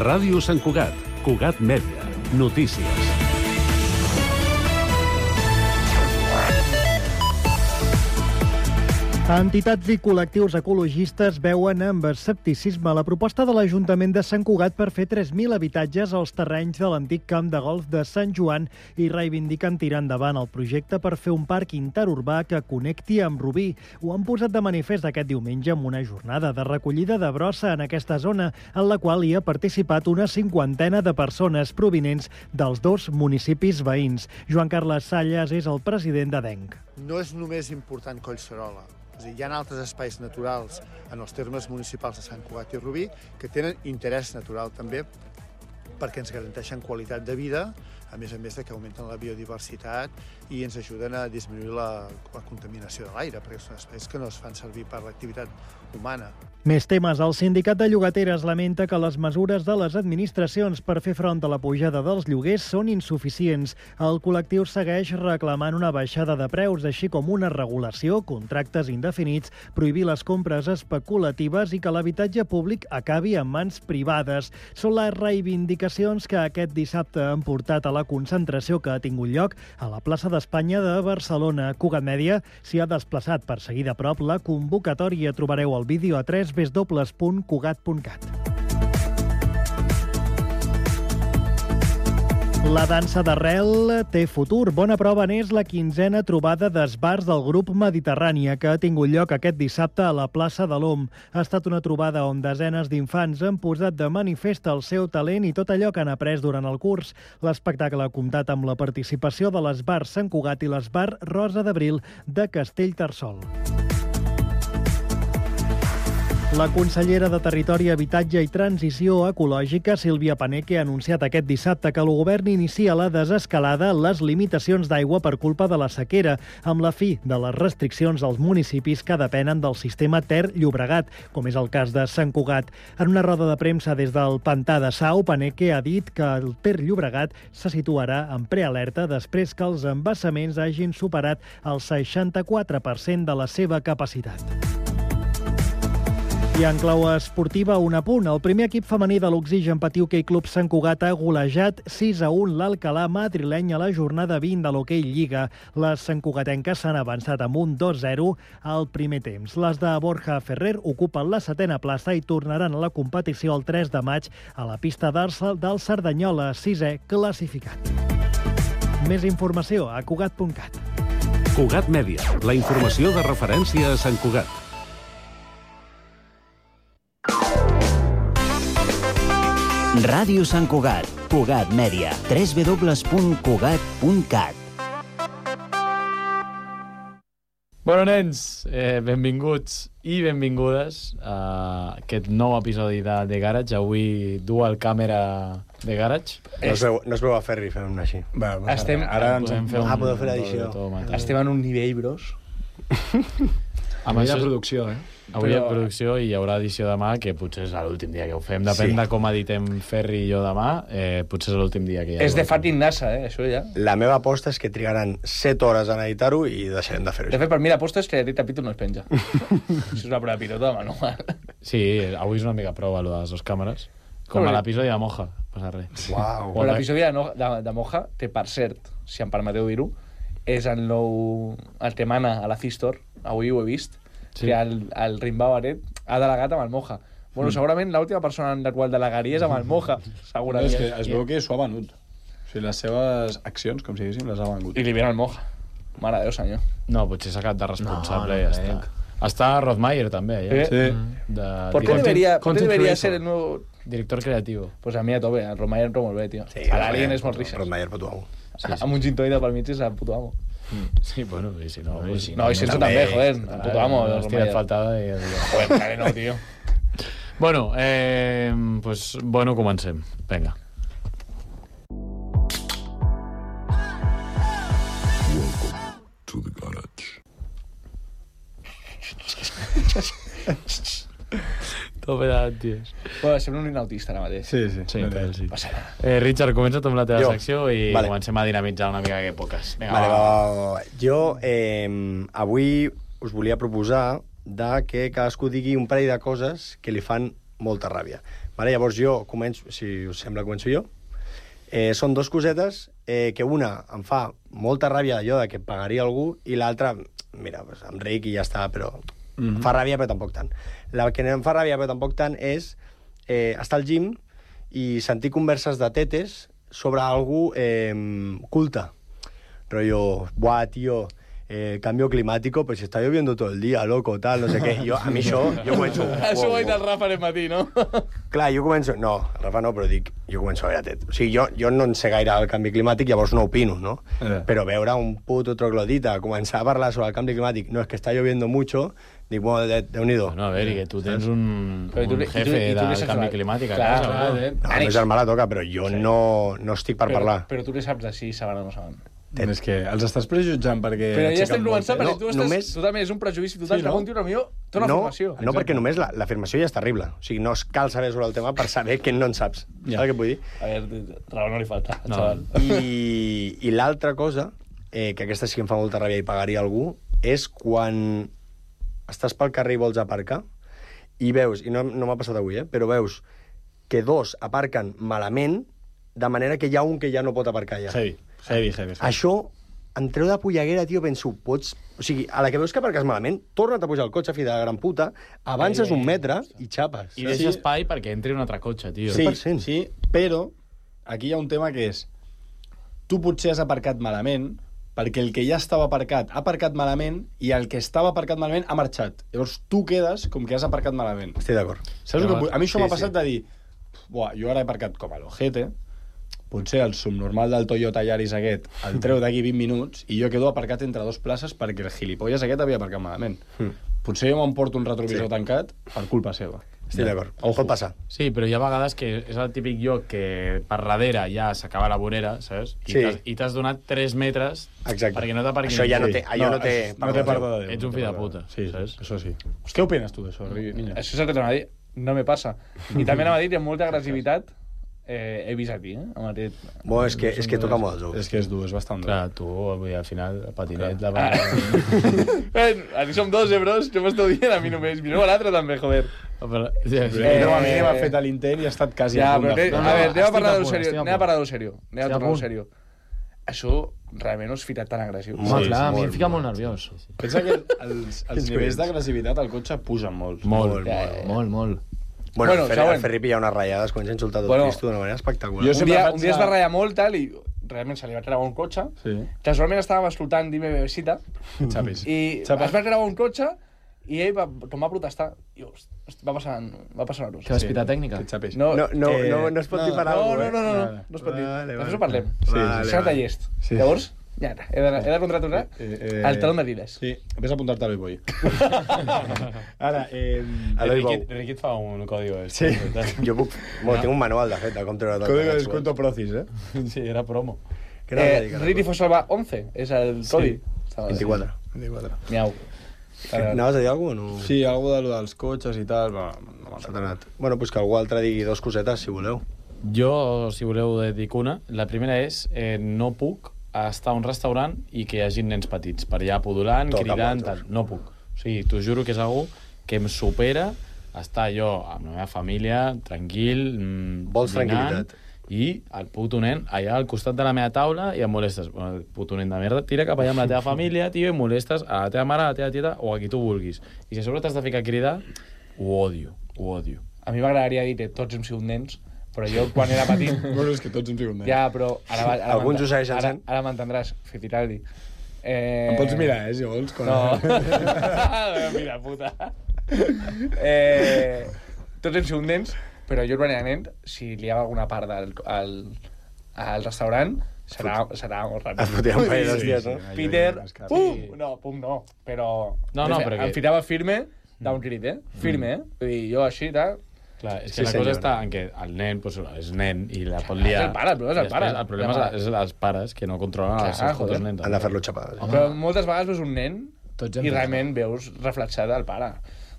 Ràdio Sant Cugat, Cugat Mèdia, notícies. Entitats i col·lectius ecologistes veuen amb escepticisme la proposta de l'Ajuntament de Sant Cugat per fer 3.000 habitatges als terrenys de l'antic camp de golf de Sant Joan i reivindiquen tirar endavant el projecte per fer un parc interurbà que connecti amb Rubí. Ho han posat de manifest aquest diumenge amb una jornada de recollida de brossa en aquesta zona, en la qual hi ha participat una 50ena de persones provinents dels dos municipis veïns. Joan Carles Salles és el president d'ADENC. No és només important Collserola. Hi ha altres espais naturals en els termes municipals de Sant Cugat i Rubí que tenen interès natural també perquè ens garanteixen qualitat de vida, a més de que augmenten la biodiversitat i ens ajuden a disminuir la contaminació de l'aire, perquè són espais que no es fan servir per l'activitat humana. Més temes. El sindicat de llogateres lamenta que les mesures de les administracions per fer front a la pujada dels lloguers són insuficients. El col·lectiu segueix reclamant una baixada de preus, així com una regulació, contractes indefinits, prohibir les compres especulatives i que l'habitatge públic acabi en mans privades. Són les reivindicacions que aquest dissabte han portat a la concentració que ha tingut lloc a la plaça d'Espanya de Barcelona. Cugat Mèdia s'hi ha desplaçat per seguir de prop la convocatòria. Trobareu el vídeo a www.cugat.cat. La dansa d'arrel té futur. Bona prova n'és la 15a trobada d'esbars del grup Mediterrània, que ha tingut lloc aquest dissabte a la plaça de l'OM. Ha estat una trobada on desenes d'infants han posat de manifest el seu talent i tot allò que han après durant el curs. L'espectacle ha comptat amb la participació de l'esbar Sant Cugat i l'esbar Rosa d'Abril de Castellterçol. La consellera de Territori, Habitatge i Transició Ecològica, Sílvia Paneque, ha anunciat aquest dissabte que el govern inicia la desescalada en les limitacions d'aigua per culpa de la sequera, amb la fi de les restriccions als municipis que depenen del sistema Ter-Llobregat, com és el cas de Sant Cugat. En una roda de premsa des del Pantà de Sau, Paneque ha dit que el Ter-Llobregat se situarà en prealerta després que els embassaments hagin superat el 64% de la seva capacitat. I en clau esportiva, un apunt. El primer equip femení de l'Oxigen Patí Hoquei Club Sant Cugat ha golejat 6-1 l'Alcalà madrileny a la jornada 20 de l'Hoquei Lliga. Les santcugatenques s'han avançat amb un 2-0 al primer temps. Les de Borja Ferrer ocupen la 7a plaça i tornaran a la competició el 3 de maig a la pista del Cerdanyola, 6è classificat. Més informació a Cugat.cat. Cugat Mèdia, la informació de referència a Sant Cugat. Ràdio Sant Cugat, Cugat Mèdia, www.cugat.cat. Bueno, nens, benvinguts i benvingudes a aquest nou episodi de Garage. Avui dual càmera de Garage. No es veu a Ferri fent una així. Ara ens podem fer podeu fer l'edició. Estem en un nivell, bros. Amb Avui això, de producció, Avui hi ha producció i hi haurà edició demà, que potser és l'últim dia que ho fem. Depèn de com editem Ferri i jo demà, potser és l'últim dia que hi ha. És de fucking NASA, això ja. La meva aposta és que trigaran 7 hores en editar-ho i deixarem de fer-ho. De fet, per mi l'aposta és que aquest capítol no es penja. Això és una prova pilota de manual. Sí, avui és una mica prova, allò de les dues càmeres. Com a l'episodi de Moja, passa res. Uau. Però l'episodi de Moja té, per cert, si em permeteu dir-ho, és el nou... el que mana a la C-Store, avui ho he vist, que el Rimbau Aret ha delegat amb el Moja. Bueno, segurament l'última persona en la qual delegaria és amb el Moja, segurament. És que es veu que s'ho ha venut. O sigui, les seves accions, com si diguéssim, les ha venut. I li viene el Moja. Mare de Déu, senyor. No, potser s'ha quedat de responsable i ja està. Està Rothmeier també, ja. Sí. ¿Por qué debería ser el nuevo director creativo? Pues a mi a tope, el Rothmeier entra molt bé, tio. Sí, l'Alien és molt rixes. Rothmeier, puto amo. Amb un gintoide pel mig és el puto amo. Sí, bueno, i si no... No, i sense també, joder, el puto amo. Hòstia, faltava... Joder, claro, no, tio. Bueno, pues, bueno, comencem. Vinga. Welcome to the garage. Tope d'anties. Bueno, sembla un autista ara mateix. Sí. Passa nada. Richard, comença tu amb la teva secció i Vale. comencem a dinamitzar una mica aquest podcast. Vinga, Vale, va. Jo avui us volia proposar de que cadascú digui un parell de coses que li fan molta ràbia. Vale? Llavors jo començo, si us sembla, començo jo. Són dos cosetes que una em fa molta ràbia allò de que pagaria algú i l'altra, mira, pues, em ric i ja està, però fa ràbia però tampoc tant. La que em fa ràbia però tampoc tant és estar al gym i sentir converses de tetes sobre algú culte. Rollo, buah, tío, cambio climático, pues está lloviendo todo el día, loco, tal, no sé què. A mi això, jo començo... Això ho ha dit el Rafa aquest matí, no? Clar, jo començo... No, Rafa no, però dic, jo començo a veure tet. O sigui, jo no en sé gaire el canvi climàtic, llavors no opino, no? Però veure un puto troglodita començar a parlar sobre el canvi climàtic, no, és que està lloviendo mucho, dic, bueno, Déu-n'hi-do. No, a veure, que tu tens un jefe del canvi climàtic a casa. No, el meu germà la toca, però jo no estic per parlar. Però tu què saps de si saben o no saben? És que els estàs prejutjant perquè... Però ja estem començant, perquè tu només... també és un prejudici total, que algun tio potser té una formació. No, perquè només l'afirmació ja és terrible. O sigui, no cal saber sobre el tema per saber que no en saps. Saps què vull dir? A veure, raó no li falta, xaval. I l'altra cosa, que aquesta sí que em fa molta ràbia i pagaria algú, és quan estàs pel carrer i vols aparcar i veus, i no m'ha passat avui, però veus que dos aparquen malament de manera que hi ha un que ja no pot aparcar ja. Heavy. Això em treu de polleguera, tio, penso, pots... O sigui, a la que veus que aparques malament, torna't a pujar al cotxe, fill de la gran puta, avances un metre i xapes. I deixa espai perquè entri un altre cotxe, tio. Sí, però aquí hi ha un tema que és... Tu potser has aparcat malament perquè el que ja estava aparcat ha aparcat malament i el que estava aparcat malament ha marxat. Llavors tu quedes com que has aparcat malament. Estic d'acord. Saps que a mi això m'ha passat de dir buah, jo ara he aparcat com a l'ojete, potser el subnormal del Toyota Yaris aquest el treu d'aquí 20 minuts i jo quedo aparcat entre dos places perquè el gilipolles aquest havia aparcat malament. Potser jo m'emporto un retrovisor tancat per culpa seva. Estic d'acord. Pot passar. Sí, però hi ha vegades que és el típic lloc que per darrere ja s'acaba la vorera, saps? I t'has donat 3 metres perquè no t'aparquin. Això ja no té... No té perdó de Déu. Ets un fill de puta. Sí, saps? Això sí. Què opines tu d'això, niño? Això és el que t'anava a dir. No me passa. I també anava a dir que amb molta agressivitat he vist aquí, amb aquest... Bueno, és que toca molt els ous. És que és dur, és bastant dur. Clar, tu, al final, el patinet... Aquí som dos, bros? Què m'esteu dient a mi només? Mireu a l'altre també, joder. A mi m'ha fet l'intent i ha estat quasi a punt de... A veure, anem a parlar d'allò seriós. Anem a tornar a seriós. Això realment no és ficat tan agressiu. Home, clar, a mi em fica molt nerviós. Pensa que els nivells d'agressivitat al cotxe pugen molt. Molt. Bueno, al Ferripi hi ha unes ratllades, comença a insultar tot Cristo d'una manera espectacular. Un dia es va ratllar molt, tal, i realment se li va treure un cotxe. Casualment estàvem escoltant Dime Bebesita, i es va treure un cotxe, i ell com va protestar, i va passar una cosa. Que va tècnica? No es pot dir per alguna cosa. No es pot dir. Després ho parlem. Això de llest. Llavors, ja està. He de contraturar el taló d'Adidas. Sí, ves a apuntar-te a l'Oi Boy. Ara, Riquit fa un código. Sí, jo puc... Tinc un manual, de fet, de com treure tot. Código de descuento Procis, Sí, era promo. Riti Fosalva 11 és el codi. 24. Miau. Anaves a dir alguna cosa o no? Sí, alguna cosa dels cotxes i tal. No m'ha anat. Bueno, doncs que algú altre digui dos cosetes, si voleu. Jo, si voleu, dic una. La primera és, no puc estar a un restaurant i que hi hagi nens petits per allà podulant, cridant, tal. No puc. O sigui, t'ho juro que és algú que em supera estar jo amb la meva família, tranquil, vols tranquil·litat. I el puto nen allà al costat de la meva taula i em molestes. Bueno, el puto nen de merda, tira cap allà amb la teva família, tio, i molestes a la teva mare, a la teva tieta o a qui tu vulguis. I si a sobre t'has de ficar a cridar, ho odio. A mi m'agradaria dir que tots hem sigut nens, però jo quan era petit... Bueno, és que tots hem sigut nens. Ja, però ara alguns ho segueixen sent. Ara m'entendràs, Fitiraldi. Em pots mirar, si vols. No. Mira, puta. Tots hem sigut nens, però jo quan era nen, si li ha alguna part al restaurant, serà molt ràpid. Es fotia un parell d'hòsties, no? Peter, pum no, però... No, però em fitava firme d'un crit, Firme, Vull dir, jo així, tal... Clar, és que la cosa està en que el nen és nen i la pot liar. És el pare, el problema és el pare. El problema és els pares que no controlen els seus fotos nens. Han de fer-lo xapar. Però moltes vegades veus un nen i realment veus reflexat el pare.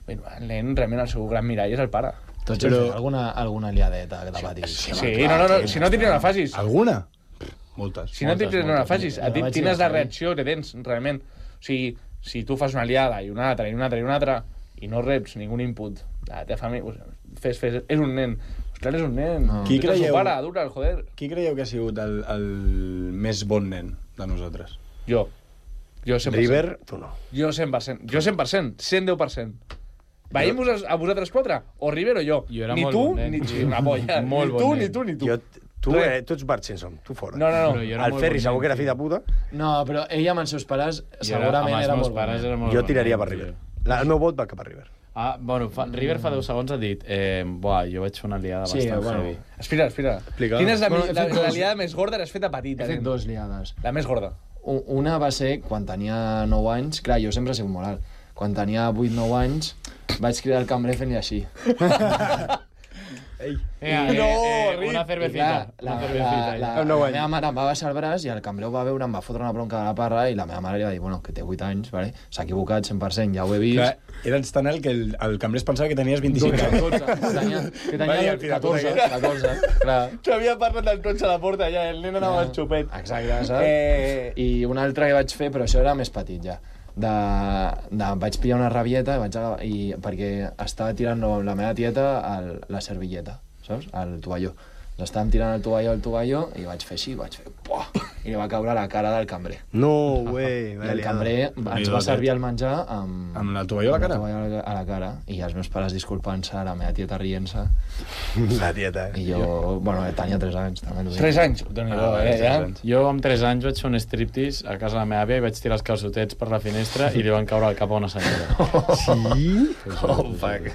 El nen, realment, el seu gran mirall és el pare. Tots alguna liadeta que t'ha patit. Sí, no, si no no la facis. Alguna? Moltes. Si no no la facis, a ti tens la reacció que tens, realment. O sigui, si tu fas una liada i una altra, i no reps ningú input La teva família... Fes, és un nen. Clar, és un nen. Qui creieu... Pare, dura, joder. Qui creieu que ha sigut el més bon nen de nosaltres? Jo 100%. River, tu no. Jo 100%. Jo 100%. 110%. Veiem a vosaltres 4? O River o jo. Ni tu, ni una polla. Ni tu, ni tu. Tu ets Bart Simpson, tu fora. No. El Ferri segur que era fill de puta. No, però ella amb els seus pares segurament era molt bon. Jo tiraria per River. El meu vot va cap a River. Bueno, River fa 10 segons ha dit jo vaig fer una liada bastant heavy. Espera. Quina és la liada més gorda que has fet a petita? He fet 2 liades. La més gorda. Una va ser quan tenia 9 anys. Clar, jo sempre he sigut molt alt. Quan tenia 8-9 anys vaig cridar al cambrer fent-li així. Una cervecita. La meva mare em va baixar el braç i el cambrer ho va veure, em va fotre una bronca de la parra i la meva mare li va dir, bueno, que té 8 anys, vale? S'ha equivocat 100%, ja ho he vist. Clar, eres tan alt que el cambrer es pensava que tenies 25 anys. Que tenia 14, clar. T'havia parlat del cotxe a la porta ja, el nen anava al xupet. Exacte, saps? I una altra que vaig fer, però això era més petit ja. Vaig pillar una rabieta perquè estava tirant la meva tieta la servilleta, saps? Al tovalló. Estàvem tirant el tovalló i vaig fer així, Puah! I li va caure a la cara del cambrer. No, güey. I el cambrer ens va servir el menjar amb la tovalló a la cara? A la cara. I els meus pares disculpant-se, la meva tieta rient-se. La tieta, I jo, tenia 3 anys, també t'ho dic. 3 anys? Ja? Jo amb 3 anys vaig fer un striptease a casa de la meva àvia i vaig tirar els calçotets per la finestra i li van caure al cap a una senyora. Sí? Oh, fuck.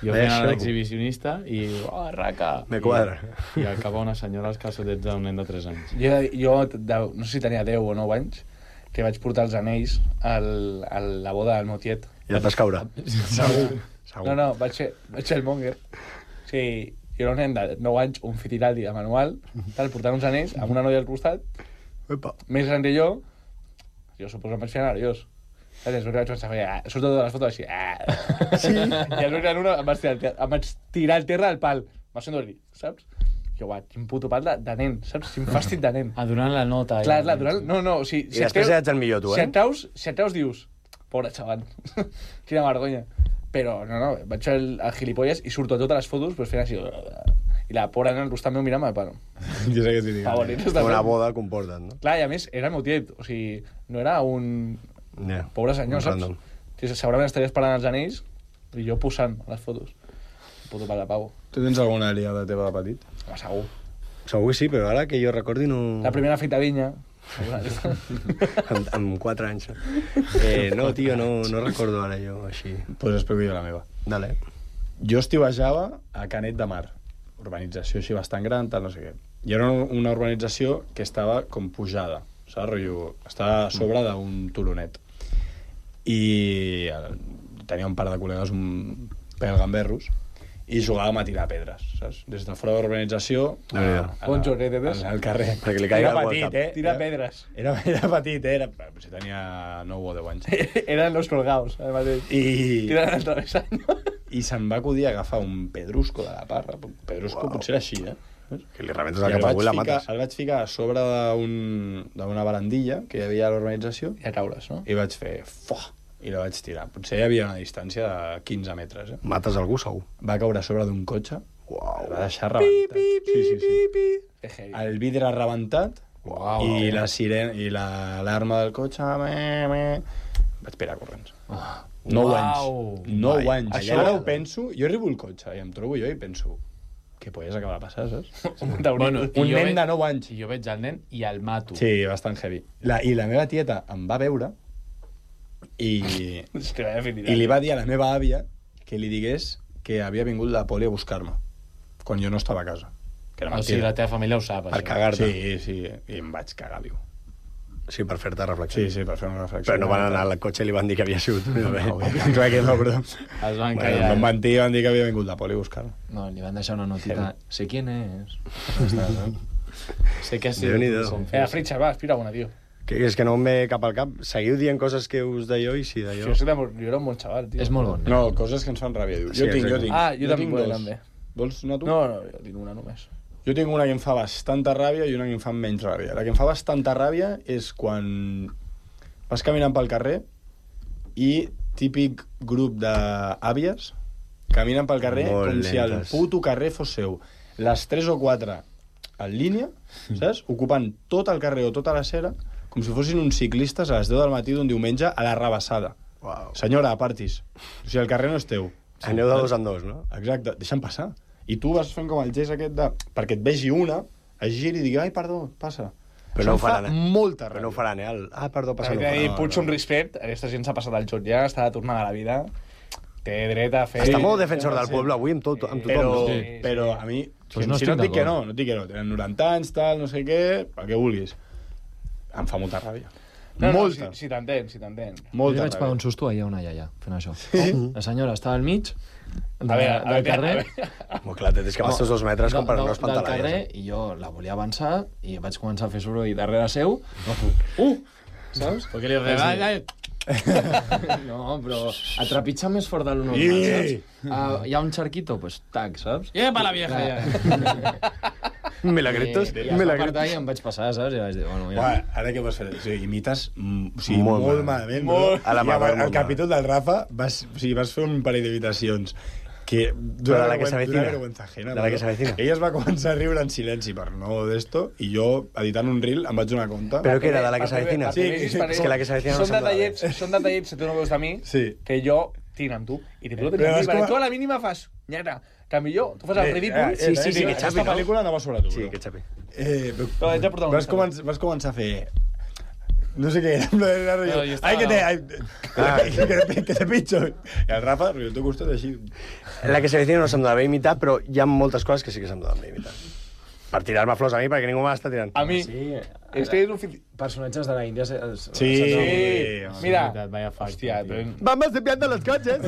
Jo fent l'exhibicionista i... raca! Me quadra. I al cap a una senyora els calçotets d'un nen de 3 anys. Jo, no sé si tenia 10 o 9 anys, que vaig portar els anells a la boda del meu tiet. I et vas caure? Segur. No, vaig fer el monger. O sigui, jo era un nen de 9 anys, un fitiraldi de manual, portant uns anells amb una noia al costat, més gran que jo suposo que em vaig fer nerviós. Saps? Vaig pensar, surto totes les fotos així. Sí? I el gran una em vaig tirar al terra al pal. M'ha sentit, saps? Jo, quin puto pal de nen, saps? Quin fàstic de nen. Donant la nota. Clar, donant... No, o sigui... I després ets el millor, tu, Si et treus, dius... Pobre xaval. Quina vergonya. Però, no, vaig fer el gilipolles i surto a totes les fotos fent així... I la pobra nena al costat meu mirant-me, bueno... Jo sé què t'hi dic. Una boda comporta, no? Clar, i a més, era el meu tiet. O sigui, no era un... Pobre senyor, saps? Segurament estaria esperant els anells i jo posant les fotos. Puto pal de pavo. Tu tens alguna liada teva de petit? Segur. Segur que sí, però ara que jo recordi no... La primera fita vinya. amb 4 anys. No, tio, no recordo ara jo així. Pues explico jo la meva. Dale. Jo estivejava a Canet de Mar, urbanització així bastant gran, tal, no sé què. I era una urbanització que estava com pujada, saps? Rotllo, estava a sobre d'un turonet. I tenia un par de col·legues un pèl gamberros i jugàvem a tirar pedres, saps? Des de fora de l'urbanització al carrer. Perquè li caigui era petit, Tira pedres. Era petit, si tenia 9 o 10 anys. Eren los colgados, además. Tiran al travesaño. I se'm va acudir a agafar un pedrusco de la parra. Pedrusco potser era així, Que li rebentes el cap avui la mates. El vaig ficar a sobre d'una barandilla que hi havia a l'urbanització. I a taules, no? I vaig fer... I la vaig tirar. Potser hi havia una distància de 15 metres. Mates algú, segur. Va caure a sobre d'un cotxe. El va deixar rebentat. Sí. El vidre rebentat. I la sirena i l'alarma del cotxe... Vaig pirar corrents. 9 anys. 9 anys. Ara ho penso, jo arribo al cotxe i em trobo jo i penso... Què polles acaba de passar, saps? Un nen de 9 anys. I jo veig el nen i el mato. Sí, bastant heavy. I la meva tieta em va veure i li va dir a la meva àvia que li digués que havia vingut la poli a buscar-me quan jo no estava a casa. O sigui, la teva família ho sap, per cagar-te. Sí, i em vaig cagar viu. Sí, per fer-te reflexió. Sí, per fer una reflexió. Però no van anar al cotxe i li van dir que havia sigut. Clar que no, però... Es van callar. Em van dir que havia vingut la poli a buscar-me. No, li van deixar una notita. Sé quién es. Sé que ha sigut... Fritxa, va, aspira una, tio. Que és que no em ve cap al cap. Seguiu dient coses que us d'allò i si d'allò... Jo era un bon xaval, tio. És molt bon. No, coses que ens fan ràbia, diu. Jo tinc. Jo també. Vols anar tu? No, jo tinc una només. Jo tinc una que em fa bastanta ràbia i una que em fa menys ràbia. La que em fa bastanta ràbia és quan vas caminant pel carrer i típic grup d'àvies caminen pel carrer Molt com si el lentes. puto carrer fos seu. Les 3 o 4 en línia, saps? Ocupant tot el carrer o tota la cera, com si fossin uns ciclistes a les 10 del matí d'un diumenge a la rebassada. Uau. Senyora, apartis. O sigui, el carrer no és teu. Aneu de dos en dos, no? Exacte, deixa'm passar. I tu vas fent com el gest aquest de... Perquè et vegi una, es giri i digui, ai, perdó, passa. Però no ho Això em fa faran, molta Però no ho ràbia. faran, perdó, passa. Hay que dir, puig un respecte, aquesta gent s'ha passat el joc ja, està tornant a la vida, té dret a fer... Està molt defensor del poble avui amb tothom, Però, no? però a mi... Pues no si estic no et dic que d'acord. no et dic que no. Tenen 90 anys, tal, no sé què, el que vulguis. Em fa molta ràbia. No, Molta. si t'entén, si t'entén. Jo Molta vaig pagar ràbia. un susto ahir a una iaia fent això. La senyora estava al mig del carrer, Molt clar, tens que amb els teus 2 metres com per no espantar del la carrer, iaia. i jo la volia avançar i vaig començar a fer soroll darrere seu. Saps? Perquè li regala... No, però a trepitjar més fort de lo normal, I- saps? Hi ha un charquito, pues tac, saps? Lleva la vieja, ja. Milagritos, I es va apartar i em vaig passar, saps? I vaig dir, bueno, ja. Uah, ara què vas fer? O sigui, imites o sigui, Molt molt, malament. malament. Molt. A la I mà, al molt capítol del Rafa vas fer un parell d'imitacions que Però de la que s'avecina. vergüenza ajena, De la que no? s'avecina. Ella es va començar a riure en silenci per no d'esto i jo, editant un reel, em vaig donar compte. Però què era, de la que s'avecina? Sí, És que la que s'avecina no Són sembla detallets, són detallets que tu no veus de mi, Sí. que jo tinc amb tu. I tu no tens Però amb mi, és perquè com a- tu a la mínima fas... Nyera, en canvi jo, tu fas el ridícul... sí, que aquesta xapi, no? pel·lícula no va sobre tu, Sí, bro. que xapi. Però haig de portar un Vas començar a fer... No sé què era, però era rotllo, No, jo estava- Ai, que te pincho. I el Rafa, rotllo, tu costat així... La que s'avecina no se'm donava bé imitar, però hi ha moltes coses que sí que se'm donen bé imitar. Per tirar-me flors a mi, perquè ningú m'està tirant. A mi, Sí, és que és un... personatges de la Índia... Sí, Mira, veritat, vaya facto, hòstia, tio. però... Vamos limpiando los coches!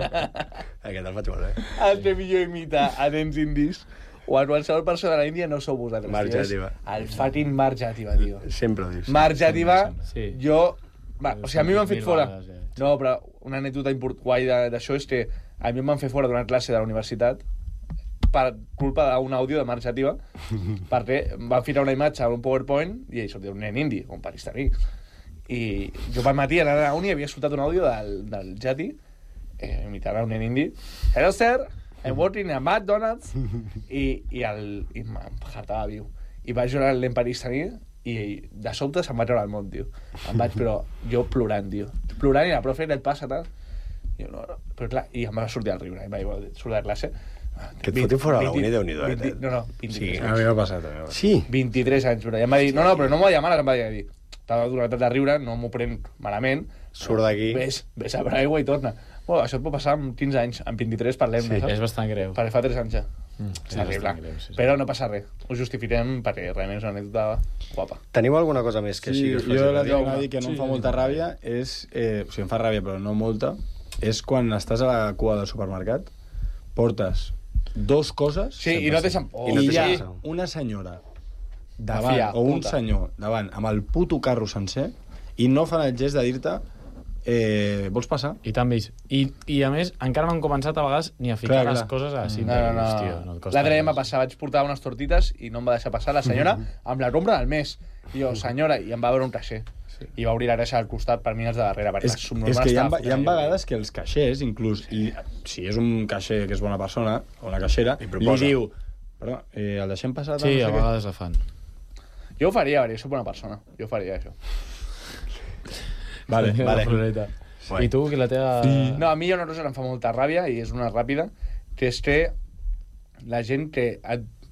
Aquest el faig molt bé. El que millor imita a nens indis o a qualsevol persona de la Índia no sou vosaltres. Marc tio, és Jativa. El fucking Marc Jativa, tio. Sempre ho dius. Marc Jativa, Sí. jo... Va, o sigui, a mi m'han fet Mil fora. vegades, ja. No, però una anècdota guai d'això és que a mi em van fer fora d'una classe de la universitat per culpa d'un àudio de Marc Jativa, perquè em van ficar una imatge a un PowerPoint i hi sortia un nen indi, un pakistaní. I jo pel matí anant a la uni havia escoltat un àudio del Jati imitant un nen indi. Hello, sir, I'm working a McDonald's. I em hartava viu. I vaig jugar al nen pakistaní i de sobte se'm va treure el món, tio. Em vaig, però jo plorant, tio. Plorant i la profe, què et passa, tal? I jo, no, però clar, i em va sortir el riure. I vaig sortir de classe. Que et fotin fora de la uni, Déu-n'hi-do, eh? No, 23 Sí, anys. a mi m'ha passat. també. Sí. 23 anys, però ja em va dir, no, però no m'ho va dir mare, em va dir, t'ha donat de riure, no m'ho prenc malament. Surt d'aquí. Ves a per aigua i torna. Bueno, això et pot passar amb 15 anys, amb 23 parlem-ne, És bastant greu. perquè fa 3 anys ja. és Terrible. bastant greu, sí. Però no passa res. Ho justifiquem perquè realment és una anècdota guapa. Teniu alguna cosa més que sí que us faci jo la ràbia? que dir que no em fa molta ràbia és... o sigui, em fa ràbia, però no molta. És quan estàs a la cua del supermercat, portes 2 coses... Sí, i no deixen... I no I te hi ha sap. una senyora davant, Fia, o un puta. senyor davant, amb el puto carro sencer, i no fan el gest de dir-te vols passar? I tant vist. I a més, encara m'han començat a vegades ni a ficar Clar, les clar. coses així. No. Hòstia, no et costa L'altre dia em va res. passar, vaig portar unes tortites i no em va deixar passar la senyora amb la compra del mes. I jo, senyora, i em va veure un caixer. I va obrir la caixa al costat per mi els de darrere, perquè És, la subnormal és que hi ha, estava hi ha fotent. vegades que els caixers, inclús, i si és un caixer que és bona persona, o una caixera, li proposa. diu perdó, el deixem passar? Sí, a no sé què?" vegades la fan. Jo ho faria, perquè soc bona persona. Jo faria això. Vale, La vale. floreta. Guai. I tu, que la teva... No, a mi hi ha una cosa que em fa molta ràbia, i és una ràpida, que és que la gent que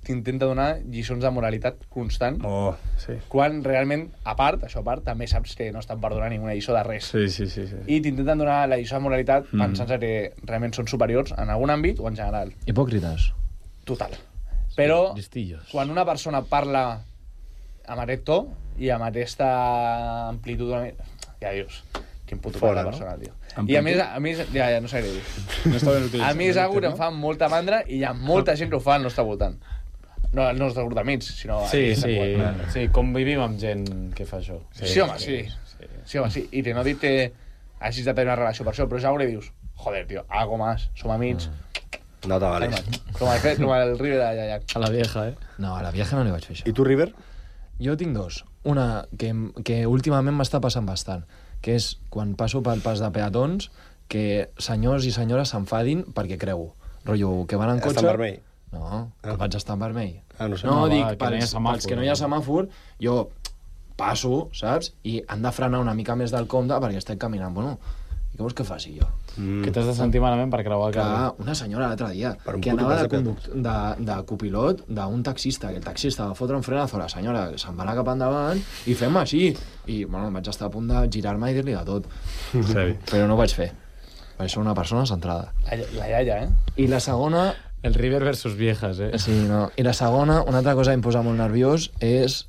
t'intenta donar lliçons de moralitat constant, Oh, sí. quan realment, a part, això a part, també saps que no estan per donar ninguna lliçó de res. Sí, sí, sí, sí. I t'intenten donar la lliçó de moralitat pensant que realment són superiors en algun àmbit o en general. Hipòcrites. Total. Però Listillos. quan una persona parla amb aquest to i amb aquesta amplitud, ja dius, quin puto Fora, la no? persona, tio. Amplitud? I a més, ja no sé què dir. No està ben utilitzat. A mi és algo que em fa molta mandra i hi ha molta gent que ho fa al nostre voltant. No al nostre grup d'amics, sinó... Sí, al sí, qual. sí, convivim amb gent que fa això. Sí, home, sí. Sí, home, sí. I que no dic que hagis de tenir una relació per això, però és algo que dius, joder, tio, algo más, som amics. No te vales. Com el River de Yayak. A la vieja, eh? No, a la vieja no li vaig fer això. I tu, River? Jo tinc 2. Una que últimament m'està passant bastant, que és quan passo pel pas de peatons que senyors i senyores s'enfadin perquè creu. Rotllo, que van en cotxe... Està en vermell. No, que vaig estar en vermell. No sé. No, dic, que no hi ha semàfor, pels que no hi ha semàfor, jo passo, saps? I han de frenar una mica més del compte perquè estic caminant. Bueno, i què vols que faci jo? Que t'has de sentir malament per creuar el carrer. Una senyora l'altre dia, Per un que puto anava pas de copilot d'un taxista, que el taxista va fotre un frenazo a la senyora, se'n va anar cap endavant, i fem així. I, bueno, vaig estar a punt de girar-me i dir-li de tot. Però no ho vaig fer. Vaig ser una persona centrada. La iaia, I la segona... El River versus Viejas, Sí, no. I la segona, una altra cosa que em posa molt nerviós és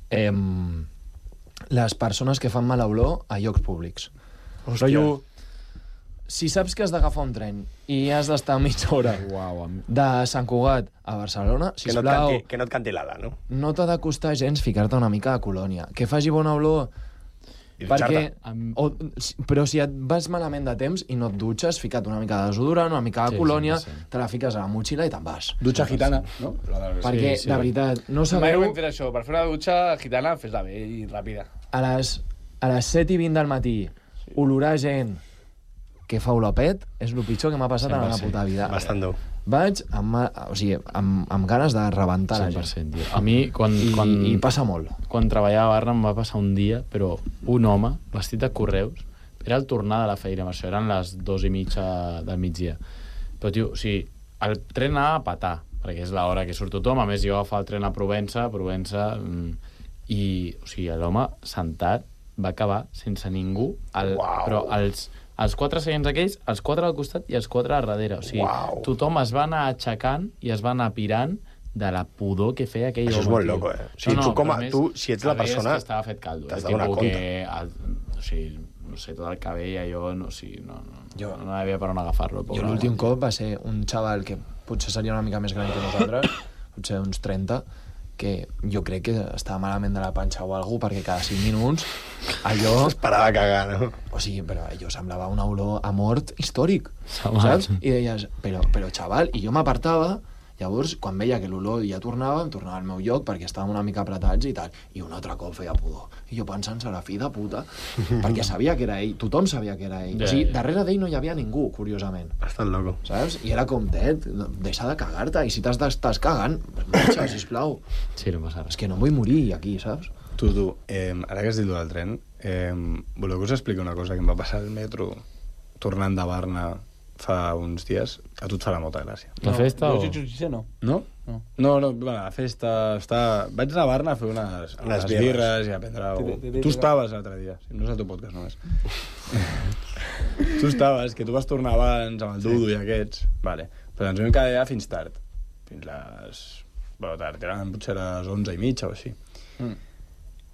les persones que fan mala olor a llocs públics. Rotllo, si saps que has d'agafar un tren i has d'estar mitja hora de Sant Cugat a Barcelona, sisplau... Que no et canti l'ala, no? No t'ha de costar gens ficar-te una mica de colònia. Que faci bona olor... Perquè, però si et vas malament de temps i no et dutxes, fica't una mica de desodorant, una mica de colònia, te la fiques a la motxilla i te'n vas. Dutxa gitana, no? Perquè, de veritat, no Mai sabeu... ho hem fet això. Per fer una dutxa gitana, fes-la bé i ràpida. A les 7:20 del matí, olorar gent que fa olor pet és el pitjor que m'ha passat en la puta vida. Bastant dur. Vaig amb ganes de rebentar la gent. Tio. A mi, I passa molt. Quan treballava a Barna em va passar un dia, però un home, vestit de correus, era el tornar de la feina, amb això eren les 2:30 del migdia. Però, tio, o sigui, el tren anava a petar, perquè és l'hora que surt tothom, a més jo agafava el tren a Provença, i, o sigui, l'home sentat va acabar sense ningú, però els 4 seients aquells, els 4 al costat i els 4 a darrere. O sigui, tothom es va anar aixecant i es va anar pirant de la pudor que feia aquell home. Això és molt loco, O sigui, tu, si ets la persona... És que estava fet caldo. T'has de donar compte. O sigui, no sé, tot el cabell, allò, no havia per on agafar-lo. Jo l'últim cop va ser un xaval que potser seria una mica més gran que nosaltres, potser uns 30, que jo crec que estava malament de la panxa o alguna cosa, perquè cada 5 minuts allò... Es parava a cagar, no? O sigui, però allò semblava una olor a mort històric, saps? I deies, però xaval, i jo m'apartava, llavors, quan veia que l'olor ja tornava, em tornava al meu lloc perquè estàvem una mica apretats i tal, i un altre cop feia pudor. I jo pensant, serà fill de puta, perquè sabia que era ell, tothom sabia que era ell. O sigui, darrere d'ell no hi havia ningú, curiosament. Bastant loco. Saps? I era com, deixa de cagar-te, i si t'estàs cagant, marxa, sisplau. Sí, no passa res. És que no vull morir aquí, saps? Tu, ara que has dit del tren, voleu que us expliqui una cosa que em va passar al metro tornant de Barna fa uns dies? A tu et farà molta gràcia. La festa o...? No. No? No, bueno, la festa... Vaig anar a Barna a fer unes birres i a prendre... Tu estaves l'altre dia, no és el teu podcast només. Tu estaves, que tu vas tornar abans amb el Dudu i aquests. Vale. Però ens vam quedar allà fins tard. Fins les... Bueno, tard, eren potser les 11:30 o així.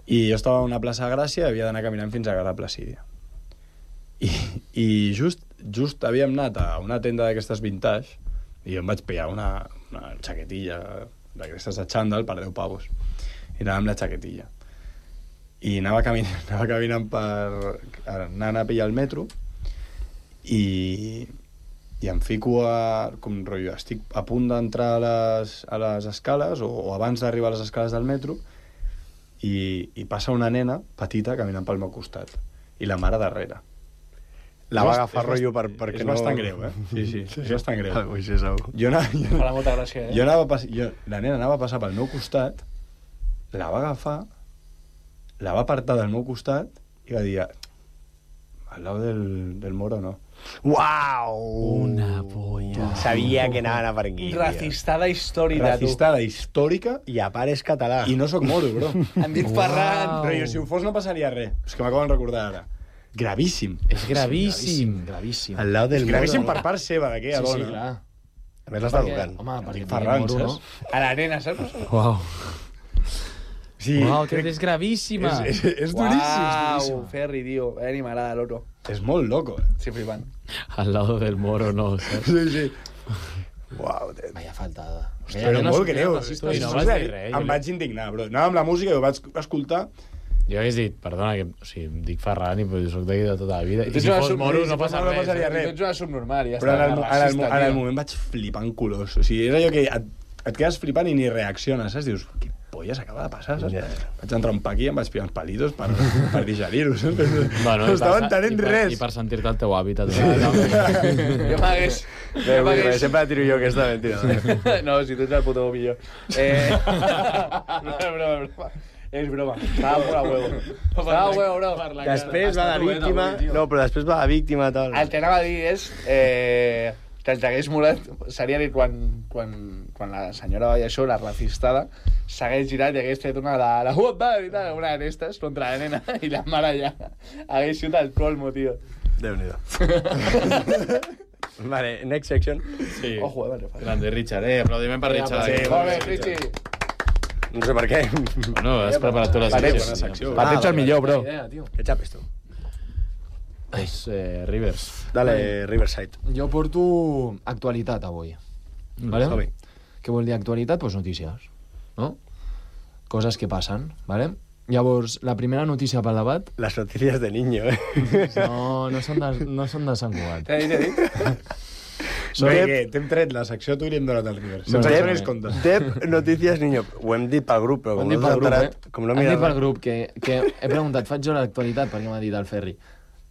I jo estava a una plaça de Gràcia i havia d'anar caminant fins a Gara Placídia. I just havíem anat a una tenda d'aquestes vintage i jo em vaig pillar una xaquetilla d'aquestes de xandall per 10 pavos. I anava amb la xaquetilla. I anava caminant per... anant a pillar el metro i em fico com rotllo, estic a punt d'entrar a les escales o abans d'arribar a les escales del metro i passa una nena petita caminant pel meu costat i la mare darrere. La va agafar rotllo perquè és no... bastant greu, Sí, és bastant greu. Això és algo. Farà molta gràcia, La nena anava a passar pel meu costat, la va agafar, la va apartar del meu costat i va dir al lado del moro, no. Uau! Una polla. Sabia que anaven a per aquí. Racistada històrica, tu. Racistada històrica I a part és català. i no sóc moro, bro. Em dic Ferran. Però si ho fos no passaria res. És que m'acaben de recordar ara. Gravíssim. És gravíssim. Gravíssim. Al lado del Gravíssim moro. per part seva, d'aquella Sí, dona. clar. A més l'està educant. Home, perquè Ferran, moro, saps? A la nena, saps? Uau. Sí, Uau, que és gravíssima. És duríssim. Uau, Ferri, tio. Ni m'agrada l'oro. És molt loco, Sí, flipant. Al lado del moro, no, saps? Sí. Uau, Vaya faltada. Però molt greu. I no vas dir res. Em vaig indignar, bro. Anava amb la música i ho vaig escoltar. Jo hagués dit, perdona, que o sigui, em dic Ferran i soc d'aquí de tota la vida. I si fos moro no passa res. passaria res. Tu ets una subnormal, ja Però està. en el moment vaig flipar en colors. O sigui, és allò que et quedes flipant i ni reacciones, saps? Dius, polla s'acaba de passar, saps? Vaig entrar un paqui i em vaig pillar uns palitos per digerir-ho, saps? Bueno, no estava entenent res. I per sentir-te al teu hàbitat. Jo m'hagués... Sempre tiro jo aquesta mentida. No, si tu ets el puto millor. No, és broma. Estava molt a huevo. Estava a huevo, bro. Després va la víctima... No, però després va la víctima, tal. El que anava a dir és... que el que hagués molat seria dir quan la senyora veia això, la racistada, s'hagués girat i hagués fet una de la i tal, una d'aquestes contra la nena, i la mare ja hagués sigut el colmo, tio. Déu-n'hi-do. Vale, next section. Sí. Ojo, vale. Grande, Richard, aplaudiment per Richard. Sí, molt bé, Richie. No sé per què. Bueno, has preparat tu la secció. Per ets el millor, bro. Què xapes, tu? És Rivers. Dale, Riverside. Jo porto actualitat avui. Vale? Què vol dir actualitat? Pues notícies, no? Coses que passen, vale? Llavors, la primera notícia pel debat... Les notícies de niño, No són de Sant Cugat. T'he dit? T'hem tret la secció tu i li hem donat al Rivers. Sense això ni es compta. Dep notícies niño. Ho hem dit pel grup, però com no s'ha enterat... Hem dit pel grup que he preguntat, faig jo l'actualitat, perquè m'ha dit el Ferri.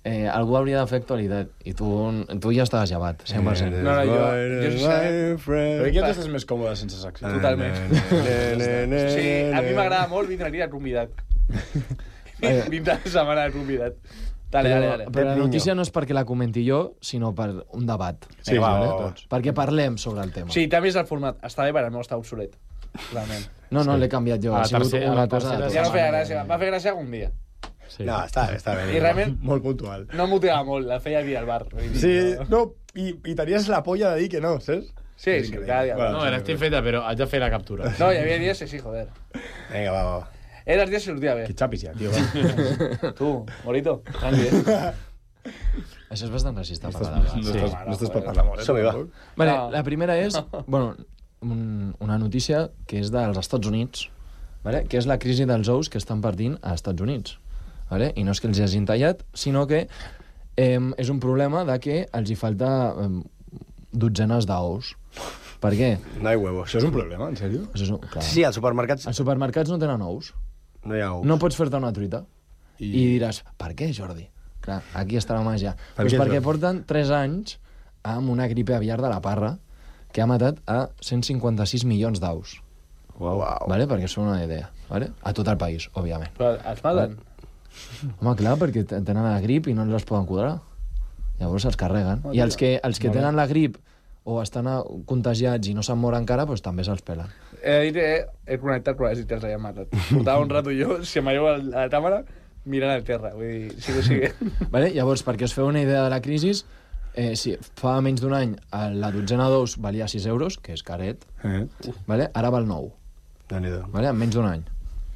Algú hauria de fer actualitat i tu ja estaves llevat, 100%. No, jo sé. Però aquí tu estàs més còmode sense secció. Totalment. Sí, a mi m'agrada molt vindre aquí de convidat. Vindre la setmana de convidat. Dale. Però la notícia no és perquè la comenti jo, sinó per un debat. Sí, perquè parlem sobre el tema. Sí, també és el format. Està bé, però el meu està obsolet. Realment. No, l'he canviat jo. Ha sigut una cosa... Ja no feia gràcia. Va fer gràcia algun dia. Sí. No, està bé. I realment... Molt puntual. No motivava molt, la feia dir al bar. Sí, no, i tenies la polla de dir que no, saps? Sí, cada dia. No, era estic feta, però haig de fer la captura. No, hi havia dies que sí, joder. Vinga, va. Era els dies que sortia bé. Que xapis ja, tio, va. Tu, Morito, tranqui, Això és bastant racista per la No estàs per parlar molt, Som-hi, va. Vale, la primera és, bueno, una notícia que és dels Estats Units, vale? Que és la crisi dels ous que estan partint als Estats Units. Vale? I no és que els hagin tallat, sinó que és un problema de que els hi falta dotzenes d'ous. Per què? No hi ha huevos. Això és un problema, en sèrio? Clar. Sí, als supermercats... Els supermercats no tenen ous. No hi ha ous. No pots fer-te una truita. I diràs, per què, Jordi? Clar, aquí està la màgia. Pues perquè porten 3 anys amb una gripe aviar de la parra que ha matat a 156 milions d'aus. Wow. Vale? Perquè és una idea. Vale? A tot el país, òbviament. Però els maten? Home, clar, perquè tenen la grip i no els poden quadrar. Llavors els carreguen. I els que tenen la grip o estan contagiats i no se'n mor encara, doncs també se'ls pelen. He connectat quan has dit que els havien matat. Portava un rato jo, si m'allò a la càmera, mirant al terra. Vull dir, sí que sigui. Vale? Llavors, perquè us feu una idea de la crisi, si fa menys d'un any la dotzena d'ous valia 6 euros, que és caret, vale? Ara val 9. Vale? En menys d'un any.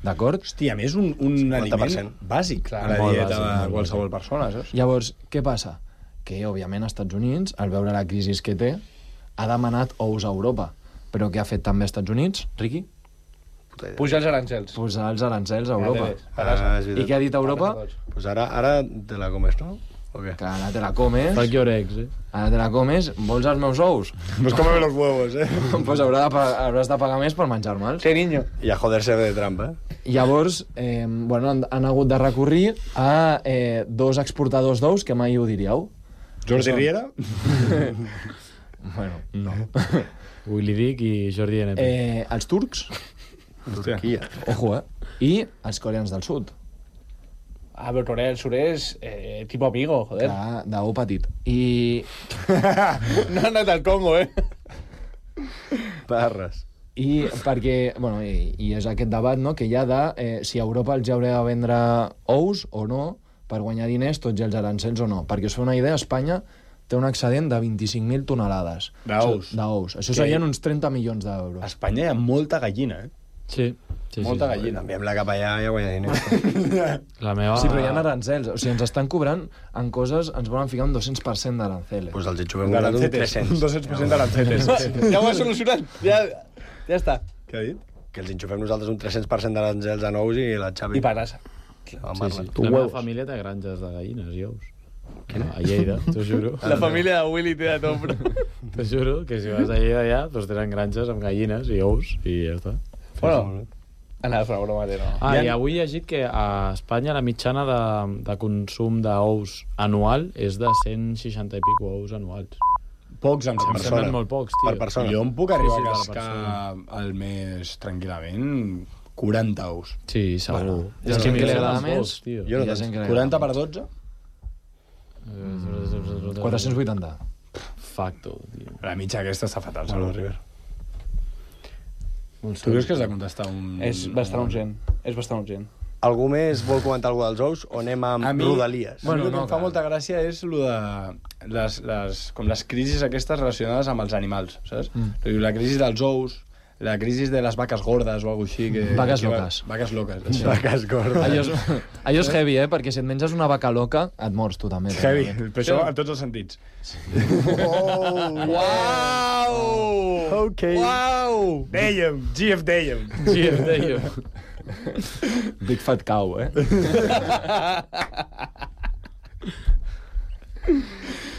D'acord? Hòstia, a més un aliment bàsic a la dieta de qualsevol persona, saps? Llavors, què passa? Que, òbviament, als Estats Units, al veure la crisi que té, ha demanat ous a Europa. Però què ha fet també als Estats Units, Riqui? Pujar els arancels. Pujar els arancels a Europa. I què ha dit Europa? Pues ara te la comes, no? Que ara te la comes. Per què orecs, Ara te la comes. Vols els meus ous? Pues cómeme los huevos, Pues hauràs de pagar més per menjar-me'ls. Sí, niño. I a joder-se de trampa, Llavors, bueno, han hagut de recurrir a 2 exportadors d'ous que mai ho diríeu. Jordi Riera? Bueno, no. Willy Dick i Jordi NP. Els turcs. Turquia. Ojo, I els coreans del sud. Ah, però Corea del Sur és tipo amigo, joder. Clar, d'ou petit. I... No ha anat al Congo, Parres. I perquè, bueno, i és aquest debat, no?, que hi ha de si a Europa els hauria de vendre ous o no, per guanyar diners, tots els arancels o no. Perquè us fa una idea, Espanya té un excedent de 25.000 tonelades. D'ous. Això serien uns 30 milions d'euros. A Espanya hi ha molta gallina, Sí. Molta gallina. Enviem-la cap allà i ja guanya diners. La meva... Sí, però hi ha arancels. O sigui, ens estan cobrant en coses, ens volen ficar un 200% d'aranceles. Pues els enxufem un 300. Un 200% d'aranceles. Ja ho he solucionat. Ja està. Què ha dit? Que els enxufem nosaltres un 300% d'arancels a nous i la Xavi... I panassa. La meva família té granges de gallines i ous. A Lleida, t'ho juro. La família de Willy té de tot, però... T'ho juro que si vas a Lleida allà, doncs tenen granges amb gallines i ous i ja està. Bueno, Anava a fer una broma, no. I avui he llegit que a Espanya la mitjana de consum d'ous anual és de 160 i pico ous anuals. Pocs, em Em semblen molt pocs, tio. Per persona. Jo em puc arribar a per cascar al mes tranquil·lament 40 ous. Sí, segur. Bueno, hi ha gent que li agrada més, tio. i hi ha gent que li 40 agrada per 12? 480. Facto, tio. La mitja aquesta està fatal, Salvador River. Molt Tu creus que has de contestar un... És bastant urgent. Algú més vol comentar alguna dels ous o anem amb rodalies? Bueno, el que em fa molta gràcia és lo de les crisis aquestes relacionades amb els animals, saps? La crisi dels ous, la crisi de les vaques gordes o alguna així. Vaques loques. Vaques loques. Això. Vaques gordes. Allò és heavy, perquè si et menges una vaca loca, et mors tu també. Heavy, però això en tots els sentits. Uau! Ok. Uau! Dèiem, GF dèiem. Big fat cow,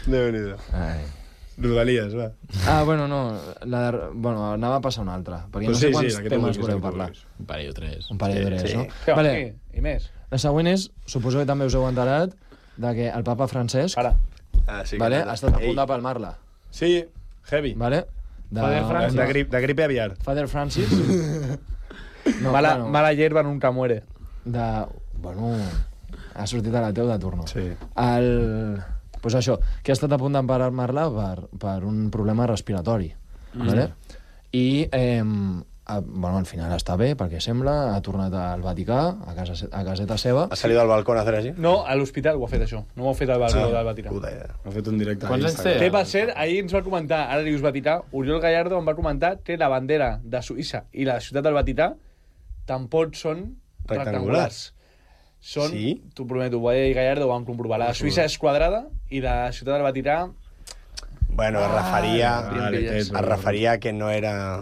Déu-n'hi-do. Rodalies, va. Bueno, no. Anava a passar una altra. Perquè no sé quants temes voleu parlar. Un parell o tres. Un parell o tres, no? Vale. I més. La següent és, suposo que també us heu enterat, de que el papa Francesc Sí, ha estat a punt de palmar-la. Sí, heavy. Vale? De gripe aviar. Father Francis. No, Mala hierba nunca muere. Bueno, ha sortit a la teu de turno. Sí. Pues això, que ha estat a punt d'emparar-la per un problema respiratori. Vale? I, al final està bé, perquè sembla, ha tornat al Vaticà, a caseta seva. Ha salido al balcó a hacer així? No, a l'hospital ho ha fet, això. No ho ha fet al balcó del Vaticà. Puta idea. Ha fet un directe. Quants anys té? Té, per ser, ahir ens va comentar, ara dius Vaticà, Oriol Gallardo em va comentar, té la bandera de Suïssa i la ciutat del Vaticà, tampoc són rectangulars. Són, t'ho prometo, Boyer i Gallardo ho van comprovar. La Suïssa és quadrada i la ciutat del Vaticà... Bueno, es referia que no era...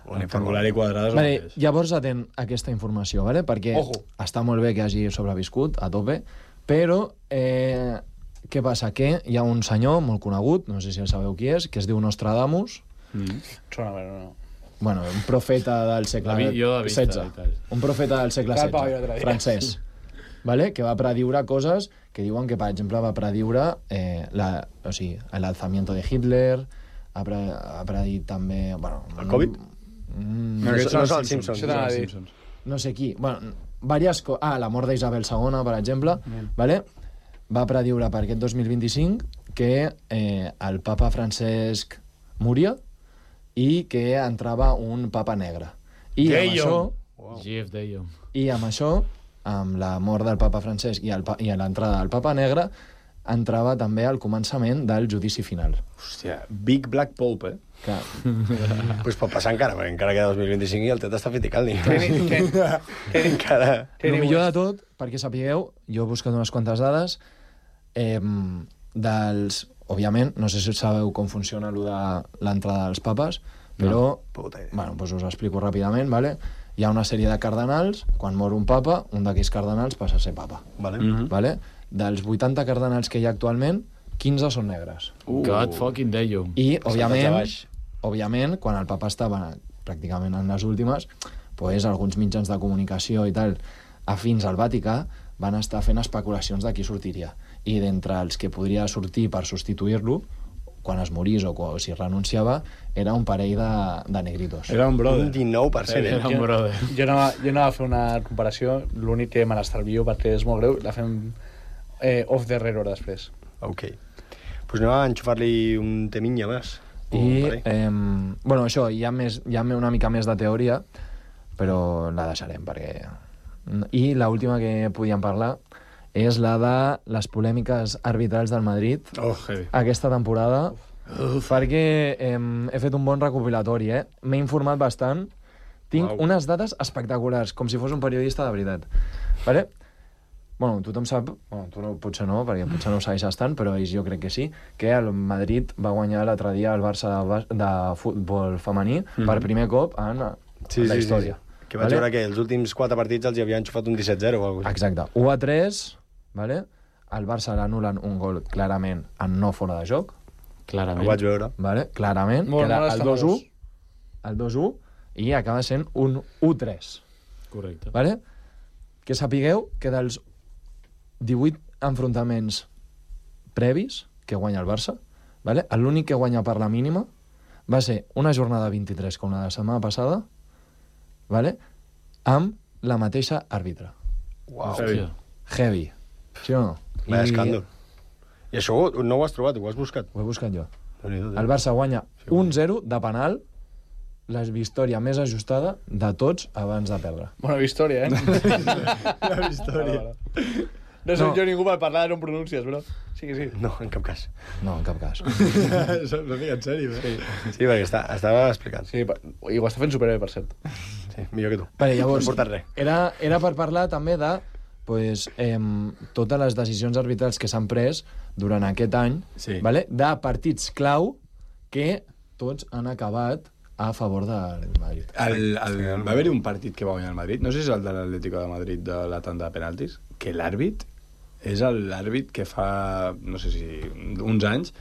Rectangular i quadrada. Vale, llavors atent aquesta informació, vale? Perquè està molt bé que hagi sobreviscut a tope, però què passa? Que hi ha un senyor molt conegut, no sé si el sabeu qui és, que es diu Nostradamus. Sona bé, no. Bueno, un profeta del segle XVI. Un profeta del segle XVI, francès. Vale? Que va prediure coses que diuen que, per exemple, va prediure l'alzamiento de Hitler, ha predit també... Bueno, el Covid? No són els Simpsons. No sé qui. Bueno, la mort d'Isabel II, per exemple, vale? Va prediure per aquest 2025 que el papa Francesc moria i que entrava un papa negre. I amb això, amb la mort del papa Francesc i l'entrada del papa negre, entrava també al començament del judici final. Hòstia, Big Black Pope, Clar. Pues pot passar encara, perquè encara queda 2025 i el tet està fet i cal. El millor de tot, perquè sapigueu, jo he buscat unes quantes dades, òbviament, no sé si sabeu com funciona l'entrada dels papes, però us ho explico ràpidament, vale? Hi ha una sèrie de cardenals, quan mor un papa, un d'aquells cardenals passa a ser papa. Vale? Dels 80 cardenals que hi ha actualment, 15 són negres. God fucking damn. I, òbviament, quan el papa estava pràcticament en les últimes, pues, alguns mitjans de comunicació i tal, afins al Vaticà, van estar fent especulacions de qui sortiria. I d'entre els que podria sortir per substituir-lo, quan es morís o si renunciava, era un parell de negritos. Era un brother. Un 19%. Era un brother. Jo anava a fer una comparació, l'únic que me l'estalvio perquè és molt greu, la fem off the record després. Ok. Pues anem a enxufar-li un teminya més. Bueno, això, hi ha una mica més de teoria, però la deixarem, perquè... I l'última que podíem parlar és la de les polèmiques arbitrals del Madrid aquesta temporada, perquè he fet un bon recopilatori, m'he informat bastant, tinc unes dades espectaculars, com si fos un periodista de veritat. Vale? Bueno, tothom sap, tu potser no, perquè potser no ho segueixes tant, però ells jo crec que sí, que el Madrid va guanyar l'altre dia el Barça de futbol femení per primer cop en la història. Que vaig veure que els últims 4 partits els hi havien xufat un 17-0 o alguna cosa. Exacte. 1-3, vale? El Barça l'anul·len un gol clarament en no fora de joc. Clarament. Ho vaig veure. Vale? Clarament. Molt que era el 2-1, i acaba sent un 1-3. Correcte. Vale? Que sapigueu que dels 18 enfrontaments previs que guanya el Barça, vale? L'únic que guanya per la mínima va ser una jornada 23 com la de la setmana passada, vale? Amb la mateixa àrbitre. Uau. Heavy. Sí o no? Vaya escàndol. I això no ho has trobat, ho has buscat? Ho he buscat jo. El El Barça guanya 1-0 de penal, la victòria més ajustada de tots abans de perdre. Bona victòria, La història. No soc jo ningú per parlar de no pronúncies, bro. Sí que sí. No, en cap cas. No, en cap cas. No dic en sèrio, eh? Sí, perquè estava explicant. Sí, i ho està fent superbé, per cert. Sí, millor que tu. Vale, llavors, no portat res. era per parlar també de totes les decisions arbitrals que s'han pres durant aquest any, vale? De partits clau que tots han acabat a favor del Madrid. Va haver-hi un partit que va guanyar el Madrid, no sé si és el de l'Atlético de Madrid de la tanda de penaltis, que l'àrbit és l'àrbit que fa, no sé si uns anys,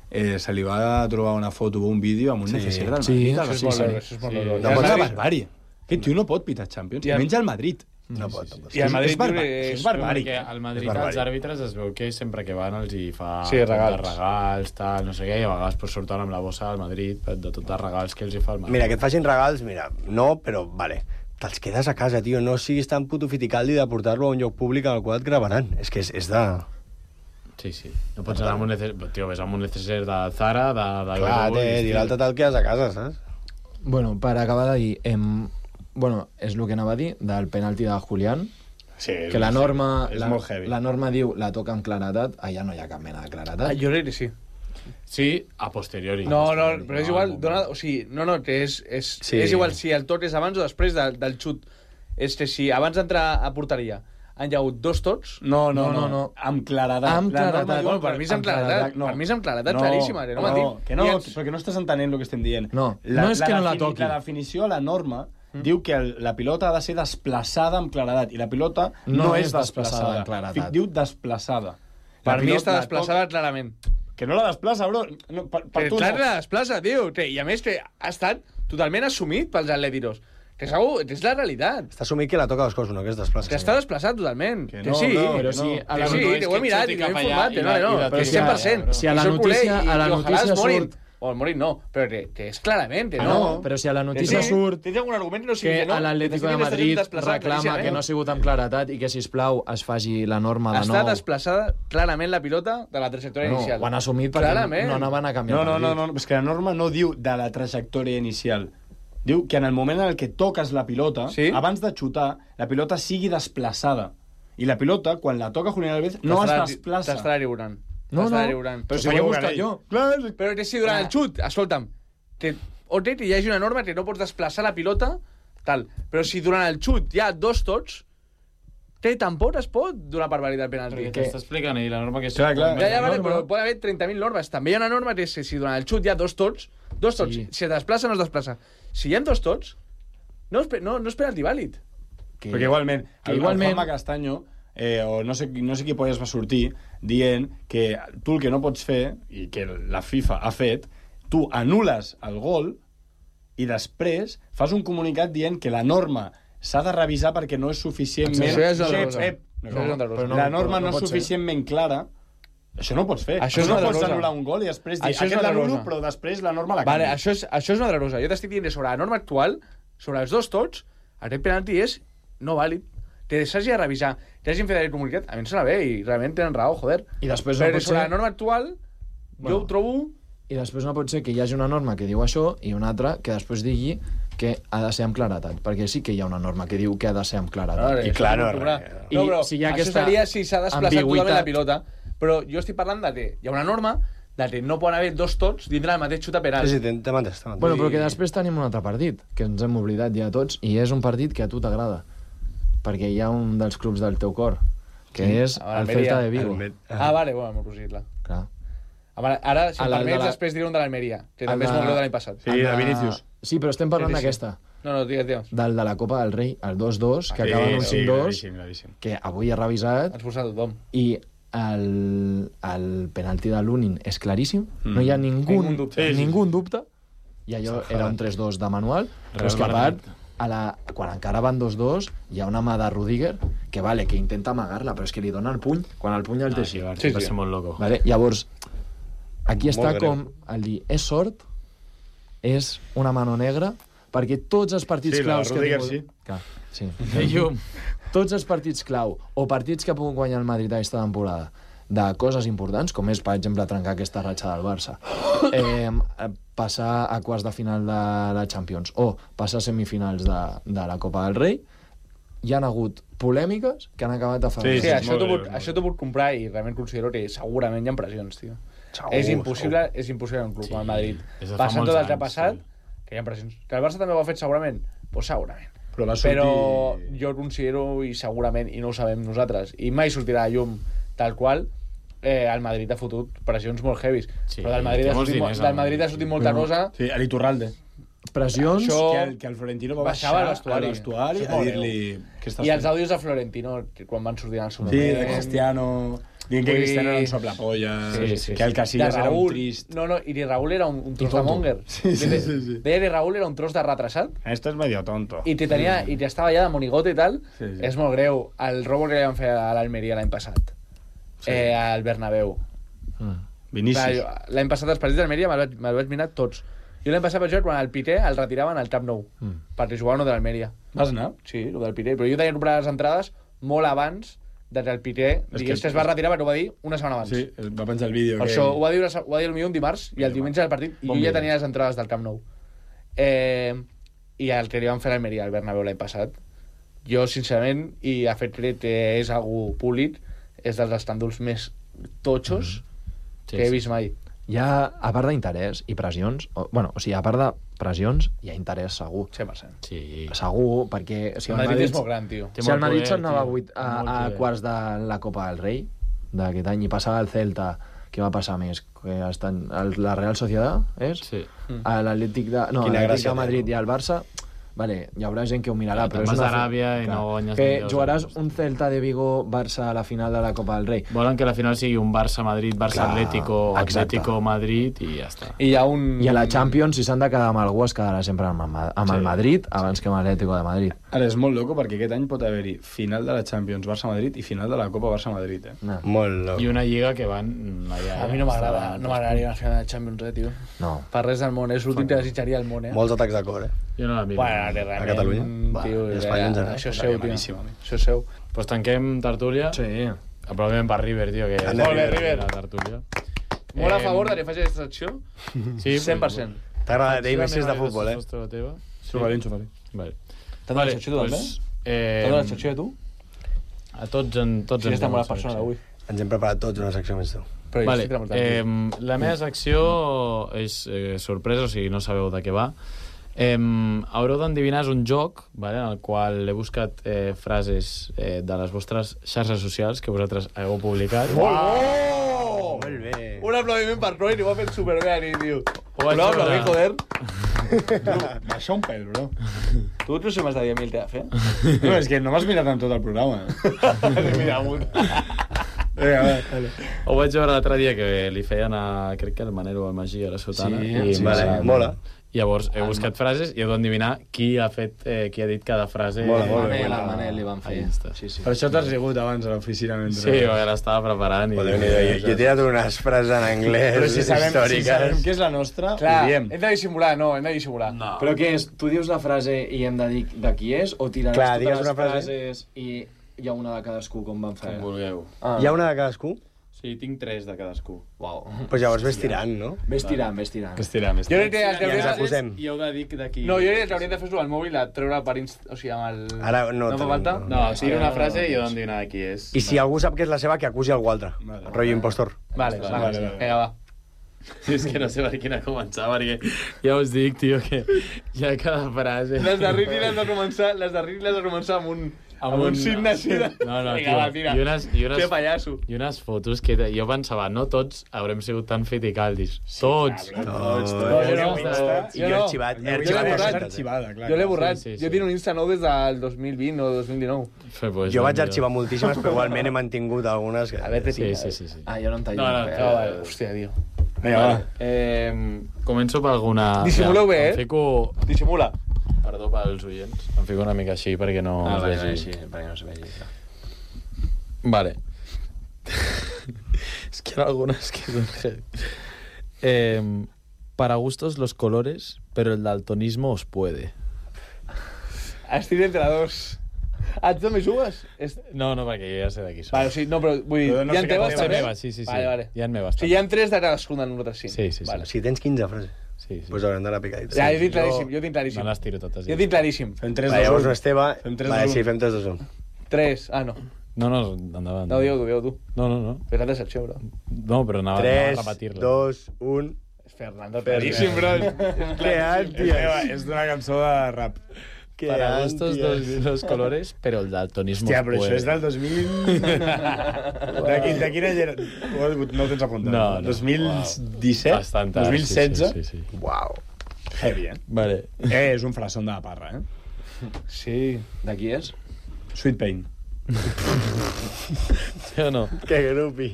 se li va trobar una foto o un vídeo amb un necessari del Madrid. Això és molt lògic. No pot ser barbària. Aquest tio no pot pitar Champions, i menys al Madrid. No pot. I el Madrid és barbàric. Perquè al Madrid els àrbitres es veu que sempre que van els hi fa regals, tal, no sé què, i a vegades pues, surten amb la bossa del Madrid de tots els regals que els hi fa el Madrid. Mira, que et facin regals, mira, no, però, vale, te'ls quedes a casa, tio, no siguis tan puto fiticaldi de portar-lo a un lloc públic en el qual et gravaran. És que és de... Sí. No pots anar amb un necesser... Tio, ves amb un necesser de Zara, de... Clar, i l'altre te'l quedes a casa, saps? Bueno, per acabar de dir... Bueno, és el que anava a dir del penalti de Julián, que la norma, la norma diu la toca amb claredat, allà no hi ha cap mena de claredat. Jo crec que sí. Sí, a posteriori. No, però és igual, o sigui, és igual si el tot és abans o després del xut. És que si abans d'entrar a porteria han hi hagut dos tots... No. Amb claredat. Amb claredat. Bueno, per mi és amb claredat. Per mi és amb claredat claríssima. Perquè no estàs entenent el que estem dient. No és que no la toqui. La definició, la norma, diu que la pilota ha de ser desplaçada amb claredat, i la pilota no és desplaçada amb claredat. Diu desplaçada. Per mi està desplaçada clarament. Que no la desplaça, bro. No, per tu no. La desplaça, tio. I a més que ha estat totalment assumit pels atlètiros. Que és la realitat. Està assumit que la toca dos coses, no que es desplaça. Que està desplaçat totalment. Que no, sí, però sí. Que ho he mirat i ho he informat. No, però 100%. Si a la notícia surt... O el Morit no, però que és clarament que no. Però si a la notícia surt tens algun argument no sigui que no, l'Atlético de Madrid reclama que no ha sigut amb claretat i que, sisplau, es faci la norma de nou... Està desplaçada clarament la pilota de la trajectòria inicial. Ho han assumit perquè no anaven a canviar el partit. No, és que la norma no diu de la trajectòria inicial. Diu que en el moment en què toques la pilota, abans de xutar, la pilota sigui desplaçada. I la pilota, quan la toca Julián Álvarez, no es desplaça. T'estarà lliurant. No, però si ho he buscat jo. Però que si durant el xut, escolta'm, que hi hagi una norma que no pots desplaçar la pilota, tal, però si durant el xut hi ha dos tots, tampoc es pot donar per vàlid el penalti. Què està explicant ahir la norma que és... Ja, vale, però pot haver 30.000 normes. També hi ha una norma que és que si durant el xut hi ha dos tots, si es desplaça no es desplaça. Si hi ha dos tots, no és penalti vàlid. Perquè igualment, el Juanma Castaño... o no sé qui polles va sortir dient que tu el que no pots fer, i que la FIFA ha fet, tu anules el gol i després fas un comunicat dient que la norma s'ha de revisar perquè no és suficientment... La norma no és suficientment clara. Això no ho pots fer. Això no pots anul·lar un gol i després dir aquest l'anulo, però després la norma la canvia. Això és una altra cosa. Jo t'estic dient sobre la norma actual, sobre els dos tots, aquest penalti és no vàlid. Que s'hagi de revisar, que hagin fet aquest comunicat, a mi em sona bé i realment tenen raó, joder. I després però sobre la norma actual, jo ho trobo... I després no pot ser que hi hagi una norma que diu això i una altra que després digui que ha de ser amb claretat, perquè sí que hi ha una norma que diu que ha de ser amb claretat. I clar, no, però si hi ha això seria si s'ha desplaçat totalment la pilota. Però jo estic parlant de que hi ha una norma de que no poden haver dos tots dintre del mateix xut a penal. Sí, t'hem entès. Bueno, però que després tenim un altre partit, que ens hem oblidat ja tots, i és un partit que a tu t'agrada. Perquè hi ha un dels clubs del teu cor, que és el Celta de Vigo. Vale, bueno, m'ho prosiguit-la. Clar. Ara, si em permets, després diré un de l'Almeria, que també és molt greu de l'any passat. Sí, de Vinícius. Sí, però estem parlant d'aquesta. No, digues. Del de la Copa del Rei, el 2-2, que acaba en un 5-2, que avui he revisat. Has posat tothom. I el penalti de l'Unin és claríssim, no hi ha ningú dubte. I allò era un 3-2 de manual, però és que a part quan encara van 2-2, hi ha una mà de Rudiger que intenta amagar-la, però és que li dona el puny, quan el puny el té així. Sí, va ser molt loco. Llavors, aquí està com el dir, és sort, és una mano negra, perquè tots els partits claus que ha tingut... Sí. Tots els partits clau o partits que ha pogut guanyar el Madrid aquesta temporada de coses importants, com és, per exemple, trencar aquesta ratxa del Barça, passar a quarts de final de la Champions o passar a semifinals de la Copa del Rei, hi han hagut polèmiques que han acabat a favor. Sí, això t'ho puc comprar i realment considero que segurament hi ha pressions, tio. És impossible en un club com el Madrid. Passant tot el que ha passat, que hi ha pressions. Que el Barça també ho ha fet segurament? Doncs segurament. Però jo considero, i segurament, i no ho sabem nosaltres, i mai sortirà a llum tal qual, el Madrid ha fotut pressions molt heavis. Però del Madrid ha sortit molta cosa. Sí, a l'Iturralde. Pressions que el Florentino va baixar al vestuari a dir-li... I els àudios de Florentino, quan van sortir en el seu moment. Sí, de Cristiano... Dient que Cristiano era un soplapolles, que el Casillas era un trist... No, i que Raúl era un tros de monger. Sí. Deia que Raúl era un tros de retrasat. Esto es medio tonto. I estava allà de monigote i tal. És molt greu. El robo que li van fer a l'Almeria l'any passat. Al Bernabéu. Vinícius. L'any passat els partits d'Almeria me'l vaig mirar tots. Jo l'any passat vaig veure quan el Piqué el retiraven al Camp Nou, perquè jugava uno de l'Almeria. Vas anar? Sí, el del Piqué. Però jo tenia comprat les entrades molt abans que el Piqué digués que es va retirar, perquè ho va dir una setmana abans. Sí, va penjar el vídeo. Per això ho va dir potser un dimarts i el diumenge del partit, i jo ja tenia les entrades del Camp Nou. I el que li van fer a l'Almeria al Bernabéu l'any passat, jo sincerament, i a fet crec que és algú públic, és dels escàndols més totxos que he vist mai. Hi ha, a part d'interès i pressions, a part de pressions, hi ha interès segur. 100%. Sí. Segur, perquè... El Madrid és molt gran, tio. Si el Madrid se'n anava a quarts de la Copa del Rei d'aquest any i passava el Celta, què va passar més? Que la Real Sociedad, és? Sí. L'Atlètic de Madrid i el Barça... Vale, hi haurà gent que ho mirarà, però és una... d'Aràbia i no guanyes... Que jugaràs un Celta de Vigo Barça a la final de la Copa del Rei. Volen que la final sigui un Barça-Madrid, Barça-Atlético-Madrid i ja està. I a la Champions, si s'han de quedar amb algú, es quedarà sempre amb el Madrid abans que amb l'Atlético de Madrid. Ara, és molt loco perquè aquest any pot haver-hi final de la Champions Barça-Madrid i final de la Copa Barça-Madrid, Molt loco. I una lliga que van allà. A mi no m'agradaria la final de la Champions, tio. No. Per res del món, és l'últim que desitjaria al món, Molts atacs de cor, Jo no la miro. A Catalunya? Tio, això és seu, tio. Això és seu. Pues tanquem tertúlia. Sí. Aplaudiment per River, tio. Molt bé, River. La tertúlia. Molt a favor de que faci aquesta secció. Sí, 100%. T'ha agradat dir messis de futbol, Xufalín. Vale. T'ha donat la secció tu, també? T'ha donat la secció de tu? A tots ens està molt persona d'avui. Ens hem preparat tots una secció més tu. Vale. La meva secció és sorpresa, o sigui, no sabeu de què va. Haureu d'endevinar, és un joc, en el qual he buscat frases de les vostres xarxes socials que vosaltres heu publicat. Molt bé. Un aplaudiment per Roy, ho ha fet superbé, tio. Un aplaudiment, joder. Baixa un pèl, bro. Tu no sé m'has de dir a mi el que ha de fer? No, és que no m'has mirat en tot el programa. Mira, amunt. Ho vaig veure l'altre dia que li feien crec que el Manero o el Magí a la Sotana. Sí, mola. Llavors he buscat frases i heu d'endevinar qui ha dit cada frase. El Manel li van fer. Per això t'has rigut abans a l'oficina. Sí, l'estava preparant. Jo he tirat unes frases en anglès històriques. Però si sabem que és la nostra, clar, ho diem. Hem de dissimular. Però què és? Tu dius la frase i hem de dir de qui és? O tiraràs totes les frases i hi ha una de cadascú, com van fer? Com vulgueu. Hi ha una de cadascú? Sí, tinc 3 de cadascú. Uau. Pues llavors ves tirant, no? Ves tirant. Jo crec que I ens acusem. I heu de dir d'aquí. No, jo crec que hauríem de fer-ho al mòbil, a treure per o sigui, amb el... Ara no fa falta? No, tira una frase i heu d'endevinar de qui és. I si algú sap que és la seva, que acusi algú altre. Rotllo impostor. Vale. Vinga, va. Sí, és que no sé per quina començar, perquè ja us dic, tio, que hi ha cada frase... Les de Ricky les de començar amb un signe així de... No, vinga, va, tira. Que pallasso. I unes fotos que jo pensava, no tots haurem sigut tan fiticaldis. Tots. I jo arxivat. Jo l'he borrat. Jo tinc un Insta nou des del 2020 o 2019. Jo vaig arxivar moltíssimes, però igualment he mantingut algunes que... A veure, sí. Ah, jo no em tallo. Hòstia, tio. Vinga, va. Començo per alguna... Dissimuleu bé, Fico... Dissimula. Perdó pels oients. Em fico una mica així perquè no es vegi. Sí, perquè no es vegi. Vale. Es que hay algunas que son heavy. Para gustos los colores, pero el daltonismo os puede. Estic entre dos. Tu també jugues? No, perquè jo ja sé de qui són. Vale, sí, no, però vull dir, hi ha teves també? Sí. Vale. Hi ha meves. O sigui, hi ha 3 de cadascun de nosaltres 5. Sí. Vale. Si tens 15 frases, pues haurem d'anar picadits. Ja, jo tinc claríssim. Me les tiro totes. Jo tinc claríssim. Fem 3, 2, 1. Vale, llavors no Esteve. Fem 3, 2, 1. Vale, sí, fem 3, 2, 1. 3, no. No, endavant. No, digue-ho tu. No. Fes la decepció, bro. No, però anava a repetir-la. 3, 2, 1... Fernando, claríssim, bro. Que ànties. És d'una cançó de rap. Para gustos los colores, pero el daltonismo Hòstia, però puede. això és del 2000... de quin any era? No ho tens apuntat. No. 2017? Bastant tard, 2016? Sí. Uau. Heavy, Vale. És un frasón de la parra, Sí. De qui és? Sweet Pain. Sí o no? Que grupi.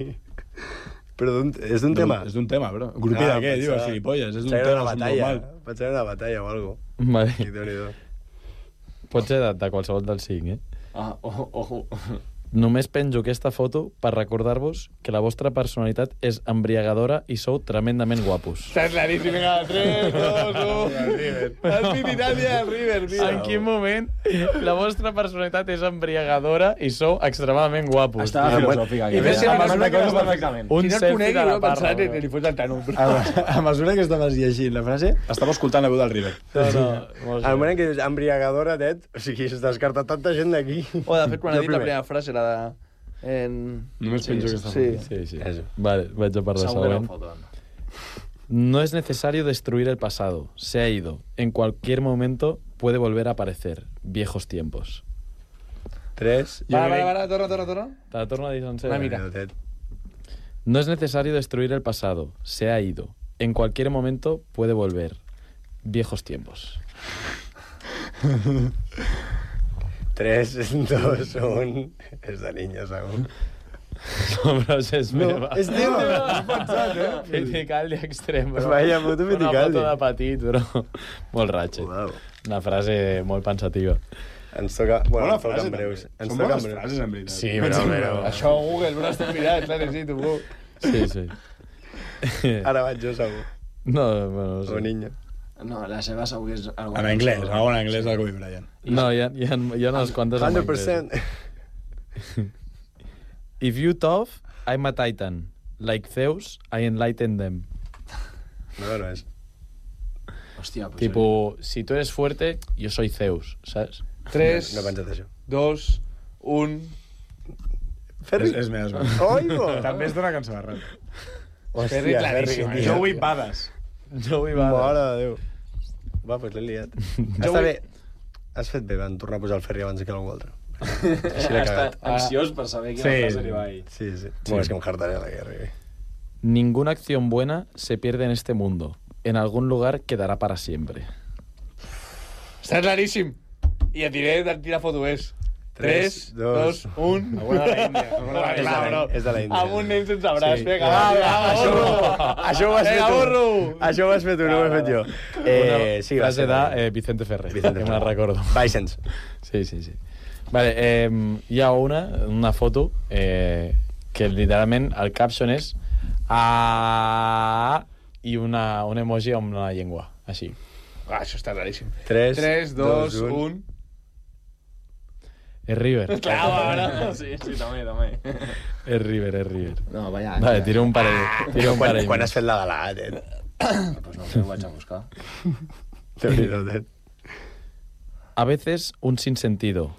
Però és d'un tema? És d'un tema, bro. Grupi de què, diu, gilipolles? És d'un tema normal. Pensava en una batalla o algo. Vale. Déu-n'hi-do. Pot ser de qualsevol dels 5, Ojo. Només penjo aquesta foto per recordar-vos que la vostra personalitat és embriagadora i sou tremendament guapos. Està claríssim, vinga, 3, 2, 1... El Trinidad del River, tio. En quin moment la vostra personalitat és embriagadora i sou extremadament guapos? Estava filosòfic aquí. I més si a mesura que perfectament. Un si no el selfie conegui, de la no parra. pensat que li fots el Tano. A mesura que estaves llegint la frase, estava escoltant la veu del River. No. Al moment que dius embriagadora, Ted, o sigui, s'ha descartat tanta gent d'aquí. O, de fet, quan ha dit la primera frase, la de... Només penjo aquesta foto. Sí. Vale, vaig a parlar següent. No es necesario destruir el pasado. Se ha ido. En cualquier momento puede volver a aparecer. Viejos tiempos. 3. Vale, torna. Te la torno a dir sencera. Una mica. No es necesario destruir el pasado. Se ha ido. En cualquier momento puede volver. Viejos tiempos. 3, 2, 1... És de niño, segur. No, però és meva. És teva, has pensat, Fiticaldi extrem, bro. Vaya puto Una Fiticaldi. foto de petit, bro. Molt ratxet. Wow. Una frase molt pensativa. Ens toca... Bona ens toca frase, en breus. també. Són bones frases, en veritat. Sí, però... Això Google, no l'estic mirant, clar, necessito, bro. Sí. Ara vaig jo, segur. No, bueno, no sé. O niño. No, la seva segur que és... En anglès, algo en anglès del Kobe Bryant. No, hi ha unes quantes en anglès. 100%. If you tough, I'm a titan. Like Zeus, I enlighten them. No és. Hòstia, pues... Tipo, si tu eres fuerte, yo soy Zeus, ¿sabes? 3, No he pensat això. 2, 1... Ferri? És meva. Oigo! També és d'una cançó de rap. Hòstia, claríssim, Ferri, Joey Badass. Joey Mare de Déu. Va, doncs l'he liat. Està bé. Has fet bé, van tornar a posar el Ferri abans que algú altre. Així l'he cagat. Ansiós per saber quina frase li va ahir. Sí. Bueno, és que em hartaré a la guerra. Ninguna acción buena se pierde en este mundo. En algún lugar quedará para siempre. Està claríssim. I et diré de quina foto és. 3, 2, 1... Alguna de la Índia. És de la Índia. Amb un nen sense braç. Sí. Vinga, va, burro. Això ho has fet tu. burro. Això ho has fet tu, no ho he fet jo. Sí, va Frase ser de Vicente Ferrer, Vicente que me la Ferrer. recordo. Vicens. Sí. Vale, hi ha una foto que literalment el caption és i un emoji amb una llengua, així. Això està claríssim. 3, 2, 1... És River. Clar, sí, també. És River. No, vaya. Vale, tiro un parell. Quan has fet la galà, Ted? Pues no sé, ho vaig a buscar. Déu-n'hi-do, Ted. A veces un sinsentido,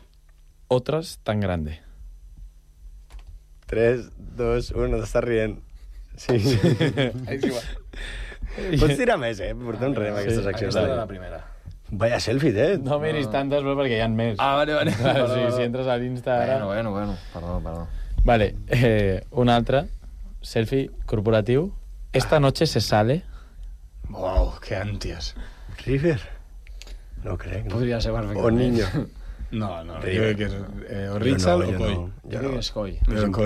otras tan grande. 3, 2, 1, t'estàs rient. Sí. Pots tirar més, portem res amb aquestes accions. Aquesta era la primera. Vaya selfie, Ted. No miris tantes, però perquè hi ha més. Vale. Si entres a l'Insta ara... Bueno. Perdó. Vale, un altre. Selfie corporatiu. Esta noche se sale. Uau, que ànties. River? No crec. No. Podria ser perfectament. O niño. No, jo crec que és o Rizal o Coi. Jo crec que és Coi.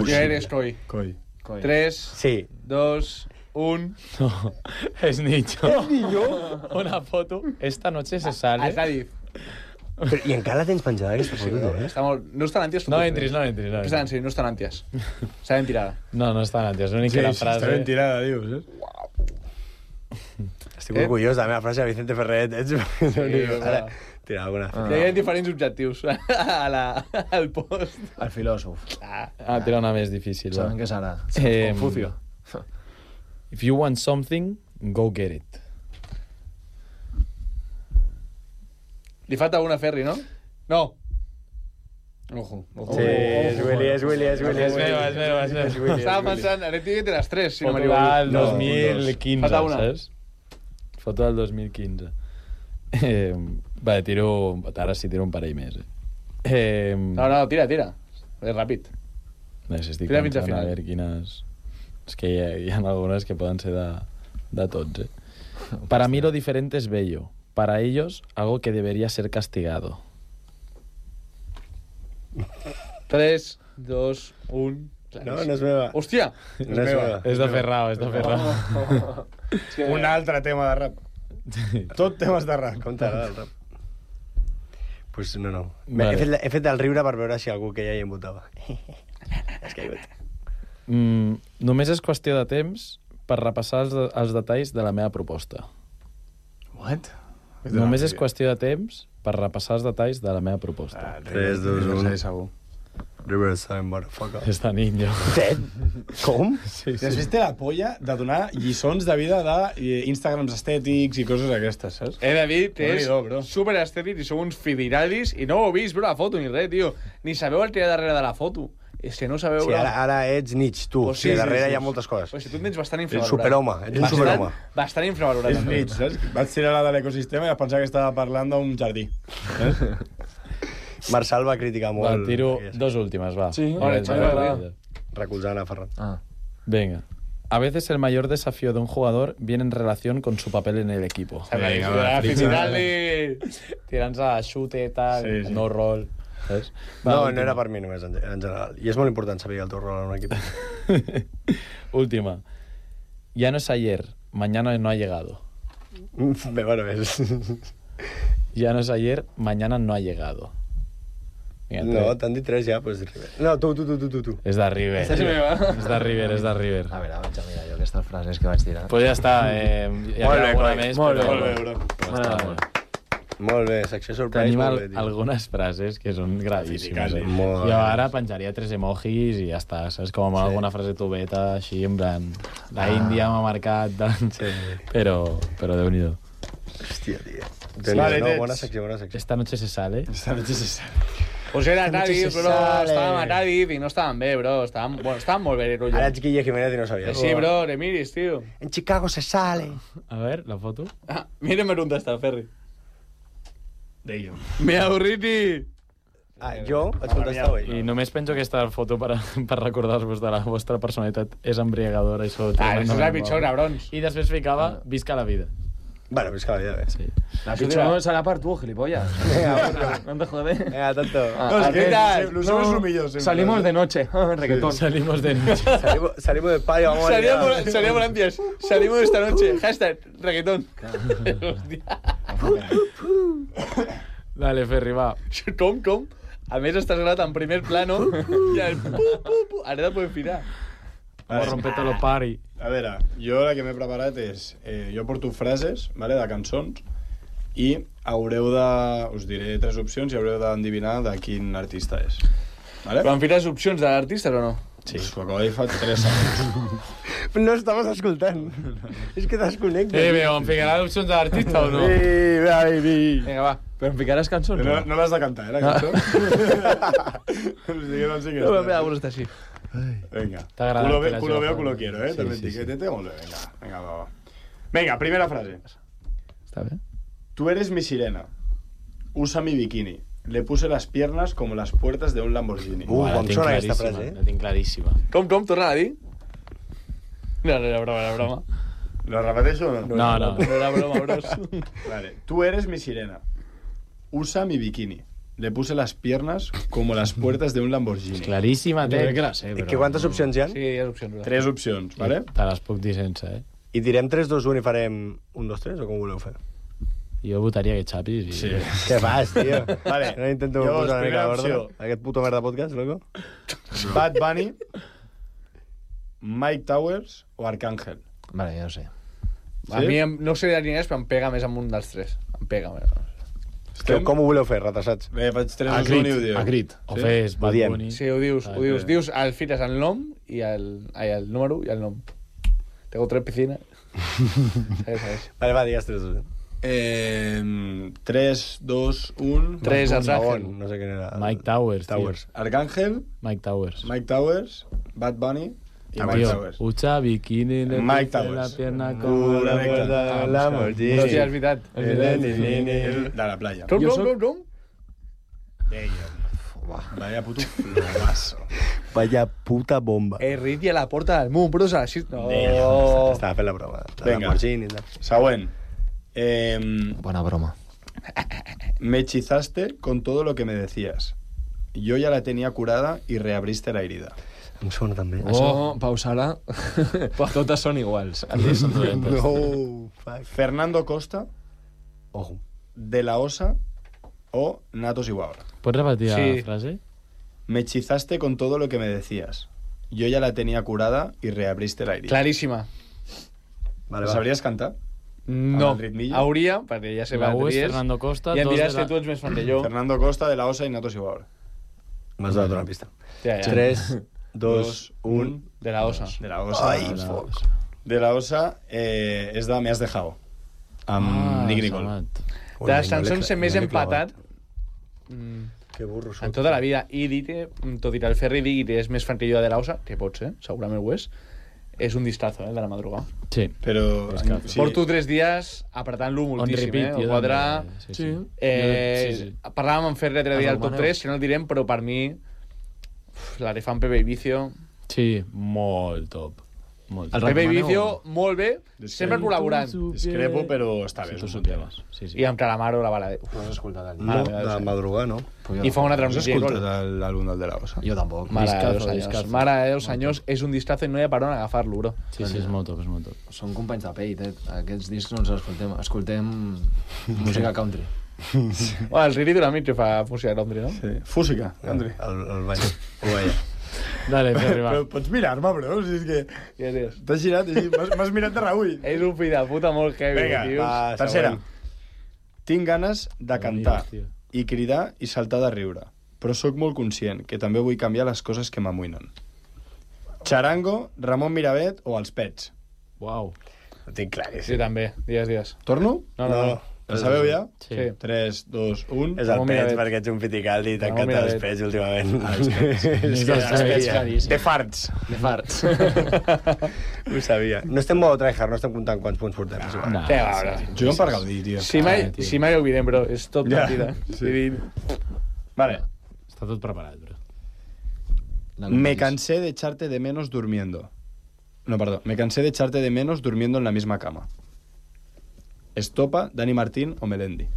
Jo eres Coi. Coi. 3, Sí. 2, 1... No, és Nicho. És millor? Una foto. Esta noche se sale. És Adif. I encara la tens penjada, aquesta foto, tu, Està molt... No està en ànties. No entris. Sí, no està en ànties. Està ben tirada. No està en ànties. L'únic que la frase... Està ben tirada, dius, Estic orgullós de la meva frase de Vicente Ferret. Ara, tira alguna. Hi ha diferents objectius al post. El filòsof. Tira una més difícil. Sabem què serà. Confucio. If you want something, go get it. Li falta una Ferri, no? No. Ojo. Sí, és Willy. És meu. Estava pensant, ara tinc que té les 3, si no Foto m'equivoco. del 2015, Falta una. saps? Foto del 2015. Va, ara sí tiro un parell més. No, tira. És ràpid. Estic Tira fins al pensant a final. veure quines... És que hi ha algunes que poden ser de tots, Para mí lo diferente es bello. Para ellos, algo que debería ser castigado. 3, 2, 1... No és meva. Hòstia! No és meva. És de Ferrao. Un altre tema de rap. Tot temes de rap. Com t'agrada el rap? Pues no. Vale. He fet el riure per veure si algú que ja hi votava. Has caigut. Només és qüestió de temps per repassar els detalls de la meva proposta. What? Només és qüestió de temps per repassar els detalls de la meva proposta. 3, 2, 1. Segur. Riverside, motherfucker. Està niño. Com? Sí. Després té la polla de donar lliçons de vida d'Instagrams estètics i coses d'aquestes, saps? He de dir que és Déu-n'hi-do, bro. superestètic i sou uns fidiralis i no ho heu vist, bro, la foto ni res, tio. Ni sabeu el que hi ha darrere de la foto. És que no sabeu... Sí, ara ets Nietzsche, tu. Pues Sí, darrere hi ha moltes coses. Pues si tu et tens bastant Ets infravalorat. superhome, ets un superhome. Bastant infravalorat. És mig, saps? Vaig tirar la de l'ecosistema i vaig pensar que estava parlant d'un jardí. Marçal va criticar molt. Va, tiro dos últimas, va. Sí, Vale, recolzant a Ferran. Venga. A veces el mayor desafío de un jugador viene en relación con su papel en el equipo. Tirant-se a xute, tal, no rol... Saps? No era per mi només, en general. I és molt important saber el teu rol en un equip. Última. Ya no es ayer, mañana no ha llegado. Bueno, és... Ya no es ayer, mañana no ha llegado. No, t'han dit 3 ja, pues River. No, tu. És de River. Esta és meva. És de River. A veure, vaig a mirar jo aquestes frases que vaig tirar. Pues ja està. Hi ha alguna més, però... Molt bé, secció surprise. Tenim molt bé, tio. algunes frases que són gravíssimes. Molt Jo ara penjaria 3 emojis i ja està, saps? Com alguna frase tubeta, així, en plan... La Índia m'ha marcat, doncs... Però Déu-n'hi-do. Hòstia, tio. Vale, No, Nets. bona secció. Esta noche se sale. Pues era Cádiz, bro. Estàvem a Cádiz i no estàvem bé, bro. Estàvem molt bé, rotllo. Ara ets Guille Jiménez i no sabies. Sí, bro, te miris, tío. En Chicago se sale. A ver, la foto. Míreme dónde está, Ferri. Deio. Me avorriti. Jo vaig contestar avui. I només penso que aquesta foto per recordar-vos de la vostra personalitat és embriagadora i sobretot... Això és la pitjor, cabrons. I després ficava, visca la vida. Bueno, pues cada vida, bé. Sí. La pitjor no serà per tu, gilipollas. No te jode. Venga, tonto. No, és que lo seu és lo millor, sempre. Salimos de noche. Reggaetón. Salimos de noche. Salimos del patio, vamos a liar. Salíamos antes. Salimos esta noche. Hashtag reggaetón. Dale, Ferri, va. Com? A més, estàs gravat en primer plano i el pu. Ara te podem firar. Vamos a romper todo el party. A veure, jo la que m'he preparat és... jo porto frases, vale, de cançons, i haureu de... Us diré 3 opcions i haureu d'endevinar de quin artista és. Vale? Però em fiques opcions de l'artista o no? Sí. Pues ho acabo de dir fa 3 segons. No estaves escoltant. És que desconnecta. Però em ficarà opcions de l'artista o no? Sí, baby. Vinga, va. Però em ficaràs cançons? No l'has de cantar, la cançó? No sé què No, mira, bueno, està així. Venga. T'ha agradat, Culo veo, culo sí. quiero, Sí, També sí, etiquetete, molt bé. Venga, va. Venga, primera frase. Està bé? Tú eres mi sirena. Usa mi bikini. Le puse las piernas como las puertas de un Lamborghini. La com tinc sona aquesta claríssima, frase, la tinc claríssima. Com? Torna a dir? No, era broma. ¿Lo repeteixo o no? No. No era broma, bros. Vale. Tú eres mi sirena. Usa mi bikini. Le puse las piernas como las puertas de un Lamborghini. Claríssima, Jo crec que té. la sé, però... Que quantes opcions hi ha? Sí, hi ha opcions. 3 opcions, vale? Te les puc dir sense, I direm 3, 2, 1 i farem 1, 2, 3 o com ho voleu fer? Jo votaria que Xapi. I... Sí. Què fas, tio? Vale. No intento Llavors, posar una mica primera d'ordre. opció. Aquest puto merda podcast, loco. Bad Bunny, Mike Towers o Arcángel. Vale, ja ho sé. A mi no sé de diners, però em pega més amb un dels tres. Em pega més. Com ho voleu fer, ratassats? Bé, faig 3, A 2, 1 i ho diu. crit. O fes Bad diem. Bunny. Sí, ho dius. Dius, el fites el nom i el número i el nom. Tengo 3 piscines. Segueix. Vale, va, digues 3, 2, 1. 3, 2, 1... 3, Arcángel. No sé quin era. Mike Towers, Towers. Arcángel, Mike Towers. Mike Towers, Bad Bunny i Mike Tío, Towers. usa bikini en Mike la Towers. pierna como la de la Lamborghini. Hòstia, és veritat. De la playa. Rom. Vaya puto florazo. Vaya puta bomba. Riti a la porta del món, però s'ha així... No. Estava fent la broma. La Venga. Lamborghini i tal. Següent. Bona broma. Me hechizaste con todo lo que me decías. Yo ya la tenía curada y reabriste la herida. Em sona també. Això, Pau Sala, totes són iguals. Altres són dolentes. No, fuck. Fernando Costa, Ojo. De la Osa o Natos Igual. Pots repetir Sí. la frase? Me hechizaste con todo lo que me decías. Yo ya la tenía curada y reabriste la herida. Claríssima. Vale, ¿La va. sabries cantar? No, Amb el ritmillo? hauria, perquè ja sé La U és qui és, Fernando Costa. i em dos diràs de que tu ets més fan que jo. Fernando Costa, De la Osa y Natos Igual. M'has donat una pista. Ja. 3, 2, 1... De la Osa. De la Osa. Ai, la- foc. De la Osa és de Me has dejado. Amb Nick Nicole. Samat. De les cançons que més empatat Que burro en tota la vida. I dir que, tot i que el Ferri digui que és més fan que jo de la Osa, que pot ser, segurament ho és un distazo, de la madrugada. Sí. Però... Sí. Porto 3 dies apretant-lo moltíssim, repeat, jo Ho podrà... també, sí. Sí. Parlàvem amb Ferri l'altre dia al top 3, que no el direm, però per mi l'Arefan Pepe i Vicio... Sí, molt top. Molt top. El Pepe i recomaneu? Vicio, molt bé, sempre col·laborant. Discrepo, però està bé. Si tu és un tema. supieras. Sí, sí. I amb Calamaro la bala. No has escoltat el No, dia? de madrugar, no. I fa una Has transmissió. escoltat l'àlbum del De la Osa? Jo tampoc. Mare de Discazo, Déu, senyors. discazo. Mare de Déu, senyors, és un distazo i no hi ha per on agafar-lo, bro. Sí, sí, és molt top, és molt top. Són companys de pell, aquests discs no els escoltem. Escoltem música country. Bueno, el Riri Duramit que fa música country, no? Sí. Fúsica, Andri. El bany. Ho veia. Dale, Ferri, va. Però pots mirar-me, bro? Si és que... Què dius? T'has girat, m'has mirat de reull. És un fill de puta molt heavy, Vinga, tios. va. Tercera. següent. Tinc ganes de cantar Tio. i cridar i saltar de riure, però sóc molt conscient que també vull canviar les coses que m'amoïnen. Charango, Ramon Miravet o Els Pets? Uau. Ho tinc Sí, claríssim. també. Digues. Torno? No. La sabeu ja? Sí. 3, 2, 1... És el Ramon Pets, Miravet. perquè ets un piticaldi i Ramon t'encanta els Miravet. Pets últimament. És que dels Pets, claríssim. De farts. De farts. Ho sabia. No estem molt tryhard, no estem comptant quants punts portem. és igual. Nah, Què va, bro? Juguem per gaudir, tio. Si mai ho oblidem, bro. És tot Ja, mentida. sí. Vale. Està tot preparat, bro. Me cansé de echarte de menos durmiendo. No, perdó. Me cansé de echarte de menos durmiendo en la misma cama. Estopa, Dani Martín o Melendi.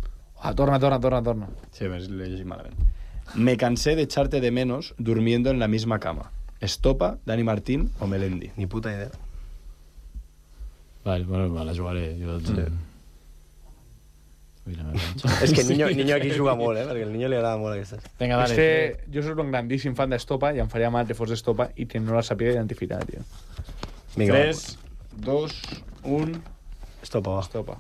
Torna. Sí, ves, l'he llegit malament. Me cansé de echarte de menos durmiendo en la misma cama. Estopa, Dani Martín o Melendi. Ni puta idea. Vale, bueno, me la jugaré. Jo... Mira, És que Niño aquí juga molt, perquè al Niño li agrada molt aquestes. Vinga, És dale. que jo soc un grandíssim fan d'Estopa i em faria mal que fos d'Estopa i que no la sàpiga identificar, tio. Vinga, 3, 2, 1... Estopa, va. Estopa.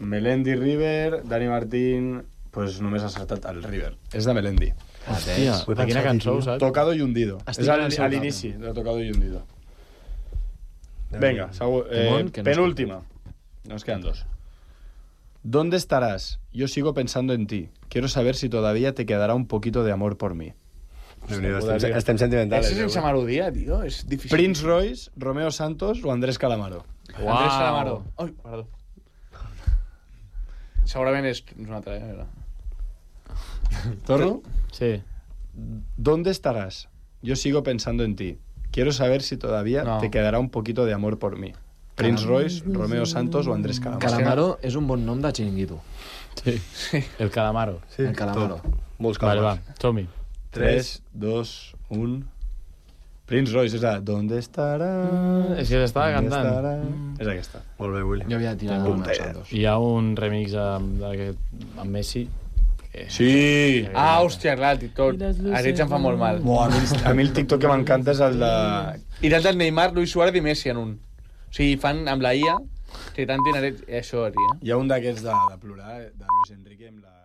Melendi, River, Dani Martín... Pues només ha acertat el River. És de Melendi. Hòstia, Ho he a quina pensat, cançó, tio. saps? Tocado y hundido. Estic És en el seu a l'inici de Tocado y hundido. Venga, Temón, que no penúltima. Nos quedan dos. ¿Dónde estarás? Yo sigo pensando en ti. Quiero saber si todavía te quedará un poquito de amor por mí. Estem sentimentals. És sense melodia, tio. És difícil. Prince Royce, Romeo Santos o Andrés Calamaro. Andrés Calamaro. Ai, perdó. Segurament és una altra, ¿Torno? Sí. ¿Dónde estarás? Yo sigo pensando en ti. Quiero saber si todavía No. te quedará un poquito de amor por mí. Prince Royce, Romeo Santos o Andrés Calamaro. Calamaro és un bon nom de xiringuito. Sí. El Calamaro. Sí, El Calamaro. Molts Vale, va, calmats. som-hi. 3, 2, 1... Prince Royce, és a ¿Dónde estarà? És que s'estava cantant. És aquesta. Molt bé, Willy. Jo havia tirat el meu Santos. Hi ha un remix amb Messi. Sí! Hòstia, clar, el TikTok. Aquests em fa molt mal. A mi el TikTok que m'encanta és el de... I tant el Neymar, Luis Suárez i Messi en un. O sigui, fan amb la IA que tant tenen això, tio. Hi ha un d'aquests de plorar, de Luis Enrique amb la